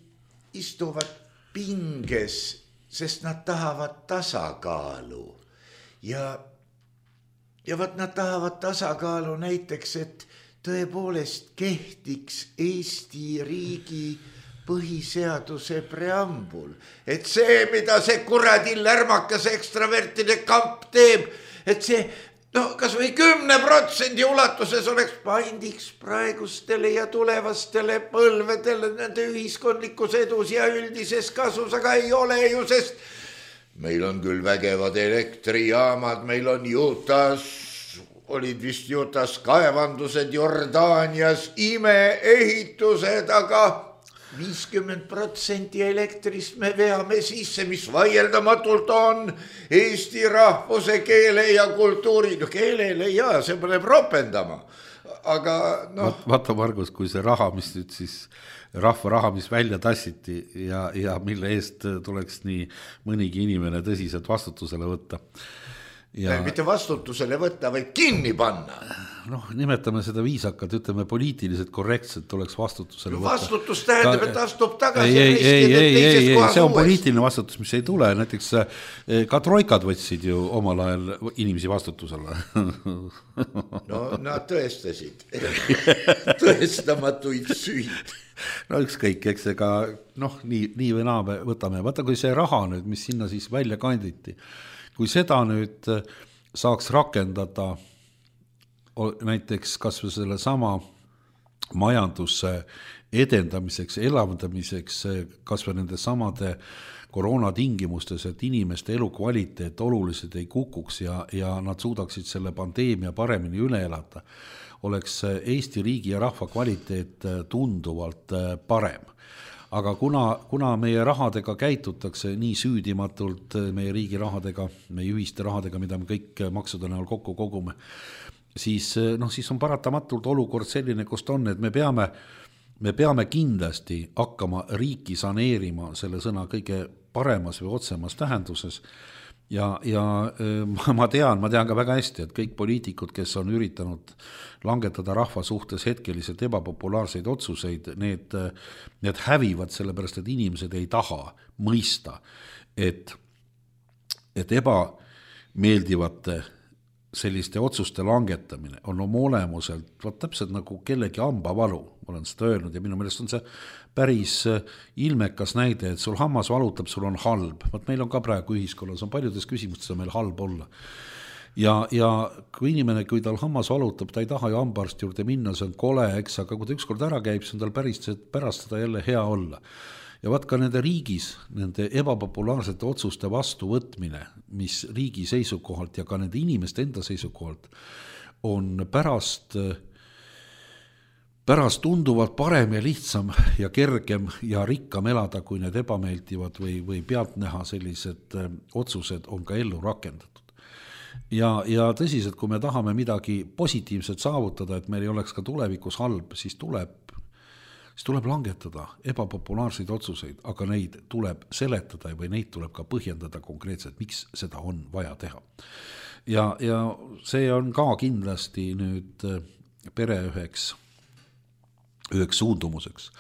istuvad pinges, sest nad tahavad tasakaalu ja võt nad tahavad tasakaalu näiteks, et tõepoolest kehtiks Eesti riigi põhiseaduse preambul, et see, mida see kuradi lärmakas ekstravertide kamp teeb, et see kas või 10% ulatuses oleks paindiks praegustele ja tulevastele põlvedele nende ühiskondlikus edus ja üldises kasus, aga ei ole ju, sest meil on küll vägevad elektrijaamad, meil on Jutas, olid vist Jutas kaevandused, Jordaanias imeehitused, aga 50% elektrist me veame sisse, mis vaieldamatult on eesti rahvuse, keele ja kultuuri. No keelele ja, see paneb ropendama. Aga Vaata Margus, kui see raha, mis nüüd siis rahva raha, mis välja tassiti ja mille eest tuleks nii mõnigi inimene tõsiselt vastutusele võtta. Mitte vastutusele võtta, vaid kinni panna. Nimetame seda viisakalt, ütleme poliitiliselt korrektselt tuleks vastutusele võtta. Vastutus tähendab, et astub tagasi. Ei, see on poliitiline vastutus, mis ei tule. Näiteks ka troikad võtsid ju omal ajal inimesi vastutusele. No nad tõestasid tõestamatuid süüd. Ükskõik, eks ega nii või naa me võtame. Vaata, kui see raha nüüd, mis sinna siis välja kanditi, kui seda nüüd saaks rakendada näiteks kas või selle sama majanduse edendamiseks, elavdamiseks, kas või nende samade koroonatingimustes, et inimeste elukvaliteet oluliselt ei kukuks ja nad suudaksid selle pandeemia paremini üle elada, oleks Eesti riigi ja rahva kvaliteet tunduvalt parem. Aga kuna meie rahadega käitutakse nii süüdimatult, meie riigi rahadega, meie ühiste rahadega, mida me kõik maksude näol kokku kogume, siis on paratamatult olukord selline, kust on, et me peame kindlasti hakkama riiki saneerima selle sõna kõige paremas või otsemas tähenduses. Ja ma tean ka väga hästi, et kõik poliitikud, kes on üritanud langetada rahva suhtes hetkeliselt ebapopulaarseid otsuseid, need hävivad sellepärast, et inimesed ei taha mõista, et ebameeldivate selliste otsuste langetamine on oma olemuselt täpselt nagu kellegi hambavalu, ma olen seda öelnud ja minu meelest on see päris ilmekas näide, et sul hammas valutab, sul on halb. Meil on ka praegu ühiskonnas, on paljudes küsimustes on meil halb olla. Ja kui inimene, kui tal hammas valutab, ta ei taha ju hambaarsti juurde minna, see on kole, eks, aga kui ta ükskord ära käib, see on tal pärast seda jälle hea olla. Ja vaat ka nende riigis, nende ebapopulaarsete otsuste vastuvõtmine, mis riigi seisukohalt ja ka nende inimeste enda seisukohalt on pärast pärast tunduvalt parem ja lihtsam ja kergem ja rikkam elada, kui need ebameeldivad või pealtnäha sellised otsused on ka ellu rakendatud. Ja tõsiselt, kui me tahame midagi positiivset saavutada, et meil ei oleks ka tulevikus halb, siis tuleb langetada ebapopulaarseid otsuseid, aga neid tuleb seletada või neid tuleb ka põhjendada konkreetselt, miks seda on vaja teha. Ja see on ka kindlasti nüüd pere üheks suundumuseks.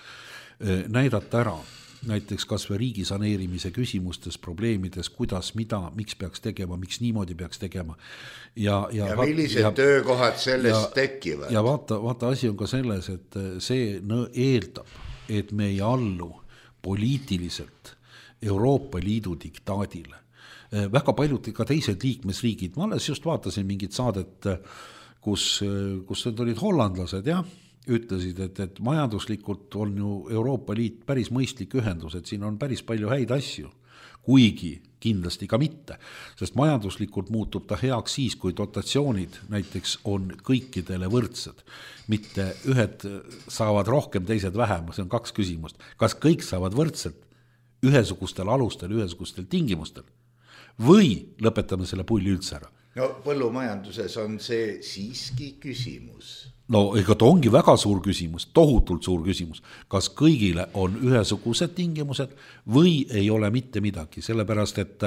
Näidata ära näiteks kas või riigi saneerimise küsimustes, probleemides, kuidas, mida, miks peaks tegema, miks niimoodi peaks tegema. Ja millised töökohad sellest tekivad. Ja vaata, asi on ka selles, et see eeldab, et me ei allu poliitiliselt Euroopa Liidu diktaadile. Väga paljud ka teised liikmesriigid, ma alles just vaatasin mingit saadet, kus need olid hollandlased, ütlesid, et majanduslikult on ju Euroopa Liit päris mõistlik ühendus, et siin on päris palju häid asju, kuigi kindlasti ka mitte, sest majanduslikult muutub ta heaks siis, kui dotatsioonid näiteks on kõikidele võrdsed, mitte ühed saavad rohkem, teised vähem, see on 2 küsimust. Kas kõik saavad võrdselt ühesugustel alustel, ühesugustel tingimustel või lõpetame selle pulli üldse ära? No põllumajanduses on see siiski küsimus. No ega ta ongi väga suur küsimus, tohutult suur küsimus, kas kõigile on ühesugused tingimused või ei ole mitte midagi, sellepärast et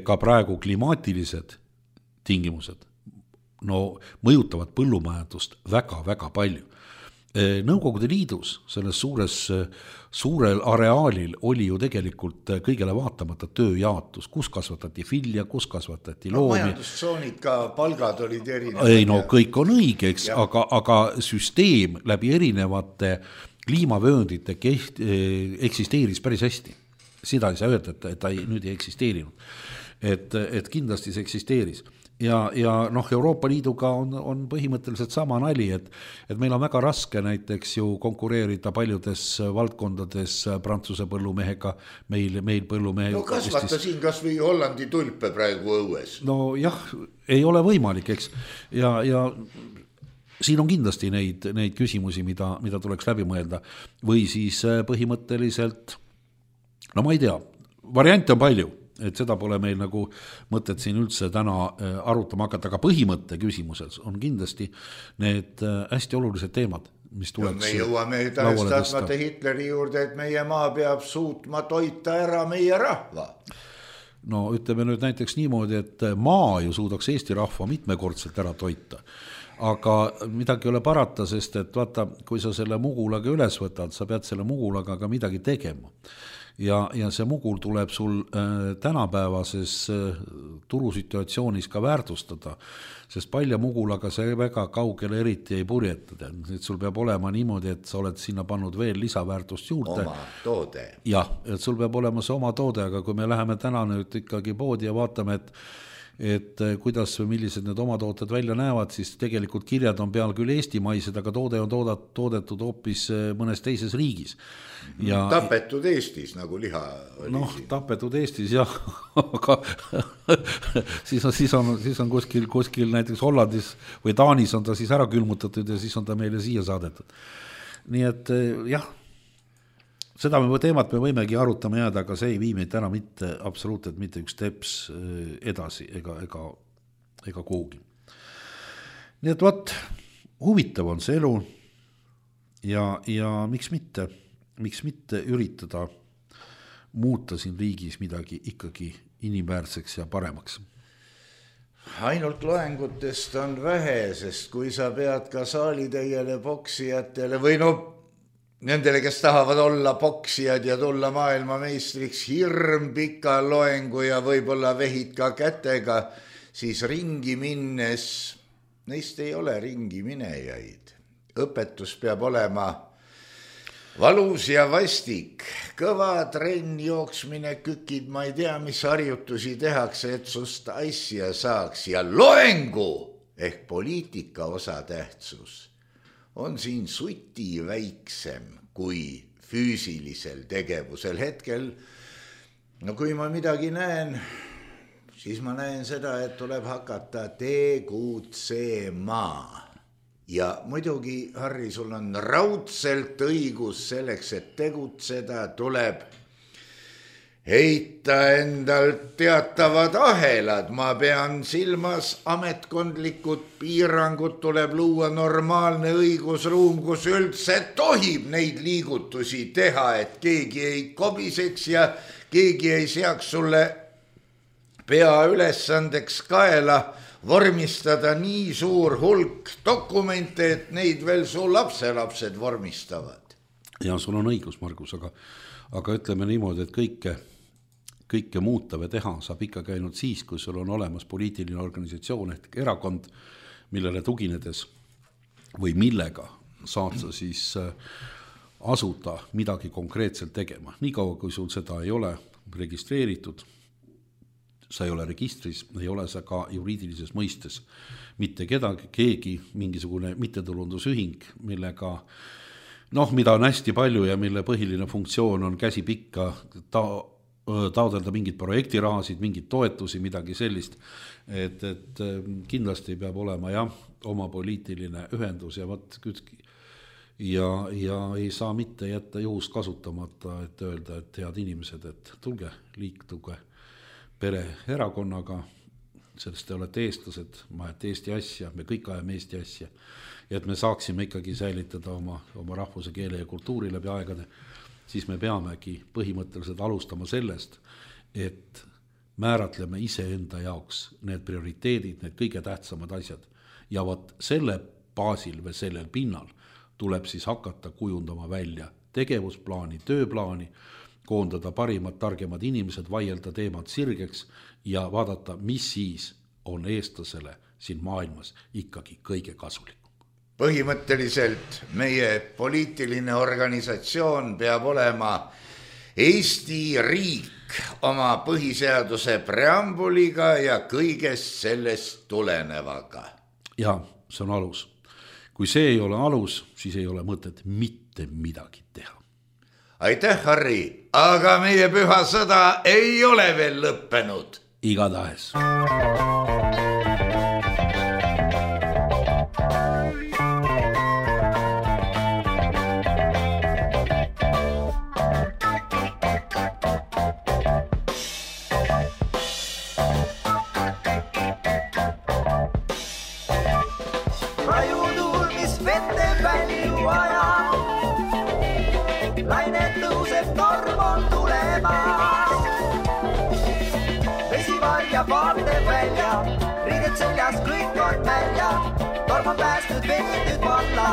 ka praegu klimaatilised tingimused mõjutavad põllumajandust väga-väga palju. Nõukogude Liidus selles suurel areaalil oli ju tegelikult kõigele vaatamata tööjaotus, kus kasvatati vilja, kus kasvatati loomi. Majandustsoonid ka, palgad olid erinevad. Ei, kõik on õige, eks, aga süsteem läbi erinevate kliimavööndite eksisteeris päris hästi. Seda ei saa öelda, et ta nüüd ei eksisteerinud. Et kindlasti see eksisteeris. Ja Euroopa Liiduga on põhimõtteliselt sama nali, et meil on väga raske näiteks ju konkureerida paljudes valdkondades Prantsuse põllumehega, meil põllumehe. No kasvata siin kas või Hollandi tulpe praegu õues. No jah, ei ole võimalik, eks. Ja siin on kindlasti neid küsimusi, mida tuleks läbi mõelda. Või siis põhimõtteliselt, no ma ei tea, variante on palju. Et seda pole meil nagu mõtet siin üldse täna arutama hakata, aga põhimõtte küsimuses on kindlasti need hästi olulised teemad, mis tuleks me jõuame tahestatmata Hitleri juurde, et meie maa peab suutma toita ära meie rahva. No ütleme nüüd näiteks niimoodi, et maa ju suudaks Eesti rahva mitmekordselt ära toita. Aga midagi ei ole parata, sest et vaata, kui sa selle mugulaga üles võtad, sa pead selle mugulaga ka midagi tegema. Ja see mugul tuleb sul tänapäevases turusituatsioonis ka väärtustada, sest palja mugulaga see väga kaugele eriti ei purjetada. Et sul peab olema niimoodi, et sa oled sinna pannud veel lisaväärtust juurde. Oma toode. Jah, et sul peab olema see oma toode, aga kui me läheme täna nüüd ikkagi poodi ja vaatame, et kuidas või millised need oma tooted välja näevad, siis tegelikult kirjad on peal küll eestimaised, aga toode on toodetud hoopis mõnes teises riigis. Ja, tapetud Eestis, nagu liha oli. Tapetud Eestis, jah, aga siis on kuskil näiteks Hollandis või Taanis on ta siis ära külmutatud ja siis on ta meile siia saadetud. Nii et jah, seda teemat me võimegi arutama jääda, aga see ei vii meid täna absoluutselt mitte üks teps edasi ega kuhugi. Nii et huvitav on see elu ja miks mitte üritada muuta siin riigis midagi ikkagi inimväärseks ja paremaks. Ainult loengutest on vähe, sest kui sa pead ka saalitäiele poksijatele või nendele, kes tahavad olla poksijad ja tulla maailmameistriks hirm pika loengu ja võib-olla vehid ka kätega, siis ringi minnes, neist ei ole ringi minejaid. Õpetus peab olema valus ja vastik, kõva trenn, jooksmine, kükid, ma ei tea, mis harjutusi tehakse, et sust asja saaks ja loengu ehk poliitika osa tähtsus on siin suti väiksem kui füüsilisel tegevusel hetkel. No kui ma midagi näen, siis ma näen seda, et tuleb hakata tegutsema. ja muidugi, Harri, sul on raudselt õigus, selleks, et tegutseda, tuleb heita endalt teatavad ahelad. Ma pean silmas ametkondlikud piirangud, tuleb luua normaalne õigusruum, kus üldse tohib neid liigutusi teha, et keegi ei kobiseks ja keegi ei seaks sulle peaülesandeks kaela vormistada nii suur hulk dokumente, et neid veel su lapselapsed vormistavad. Ja sul on õigus, Margus, aga ütleme niimoodi, et kõike muuta või teha saab ikkagi ainult siis, kui sul on olemas poliitiline organisatsioon ehk erakond, millele tuginedes või millega saad sa siis asuda midagi konkreetselt tegema. Niikaua, kui sul seda ei ole registreeritud, sa ei ole registris, ei ole sa ka juriidilises mõistes mitte keegi, mingisugune mittetulundusühing, millega mida on hästi palju ja mille põhiline funktsioon on käsipikka taodelda mingid projektirahasid, mingid toetusi, midagi sellist, et kindlasti peab olema oma poliitiline ühendus ja ei saa mitte jätta juhust kasutamata, et öelda, et head inimesed, et tulge, liiktuge pereerakonnaga, sellest te olete eestlased, ma ajate Eesti asja, me kõik ajame Eesti asja, ja et me saaksime ikkagi säilitada oma rahvuse, keele ja kultuuri läbi aegade, siis me peamegi põhimõtteliselt alustama sellest, et määratleme iseenda jaoks need prioriteedid, need kõige tähtsamad asjad. Ja selle baasil või sellel pinnal tuleb siis hakata kujundama välja tegevusplaani, tööplaani, koondada parimad, targemad inimesed, vaielda teemad sirgeks ja vaadata, mis siis on eestlasele siin maailmas ikkagi kõige kasulikum. Põhimõtteliselt meie poliitiline organisatsioon peab olema Eesti riik oma põhiseaduse preambuliga ja kõigest sellest tulenevaga. Ja see on alus. Kui see ei ole alus, siis ei ole mõtet mitte midagi teha. Aitäh, Harri, aga meie püha sõda ei ole veel lõppenud. Igatahes. Riidet seljas kõik on välja, torm on päästnud veetud valla.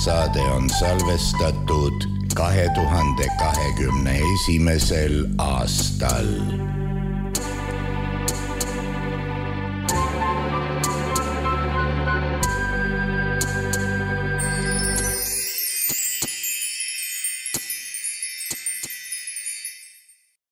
saade on salvestatud 2021. aastal.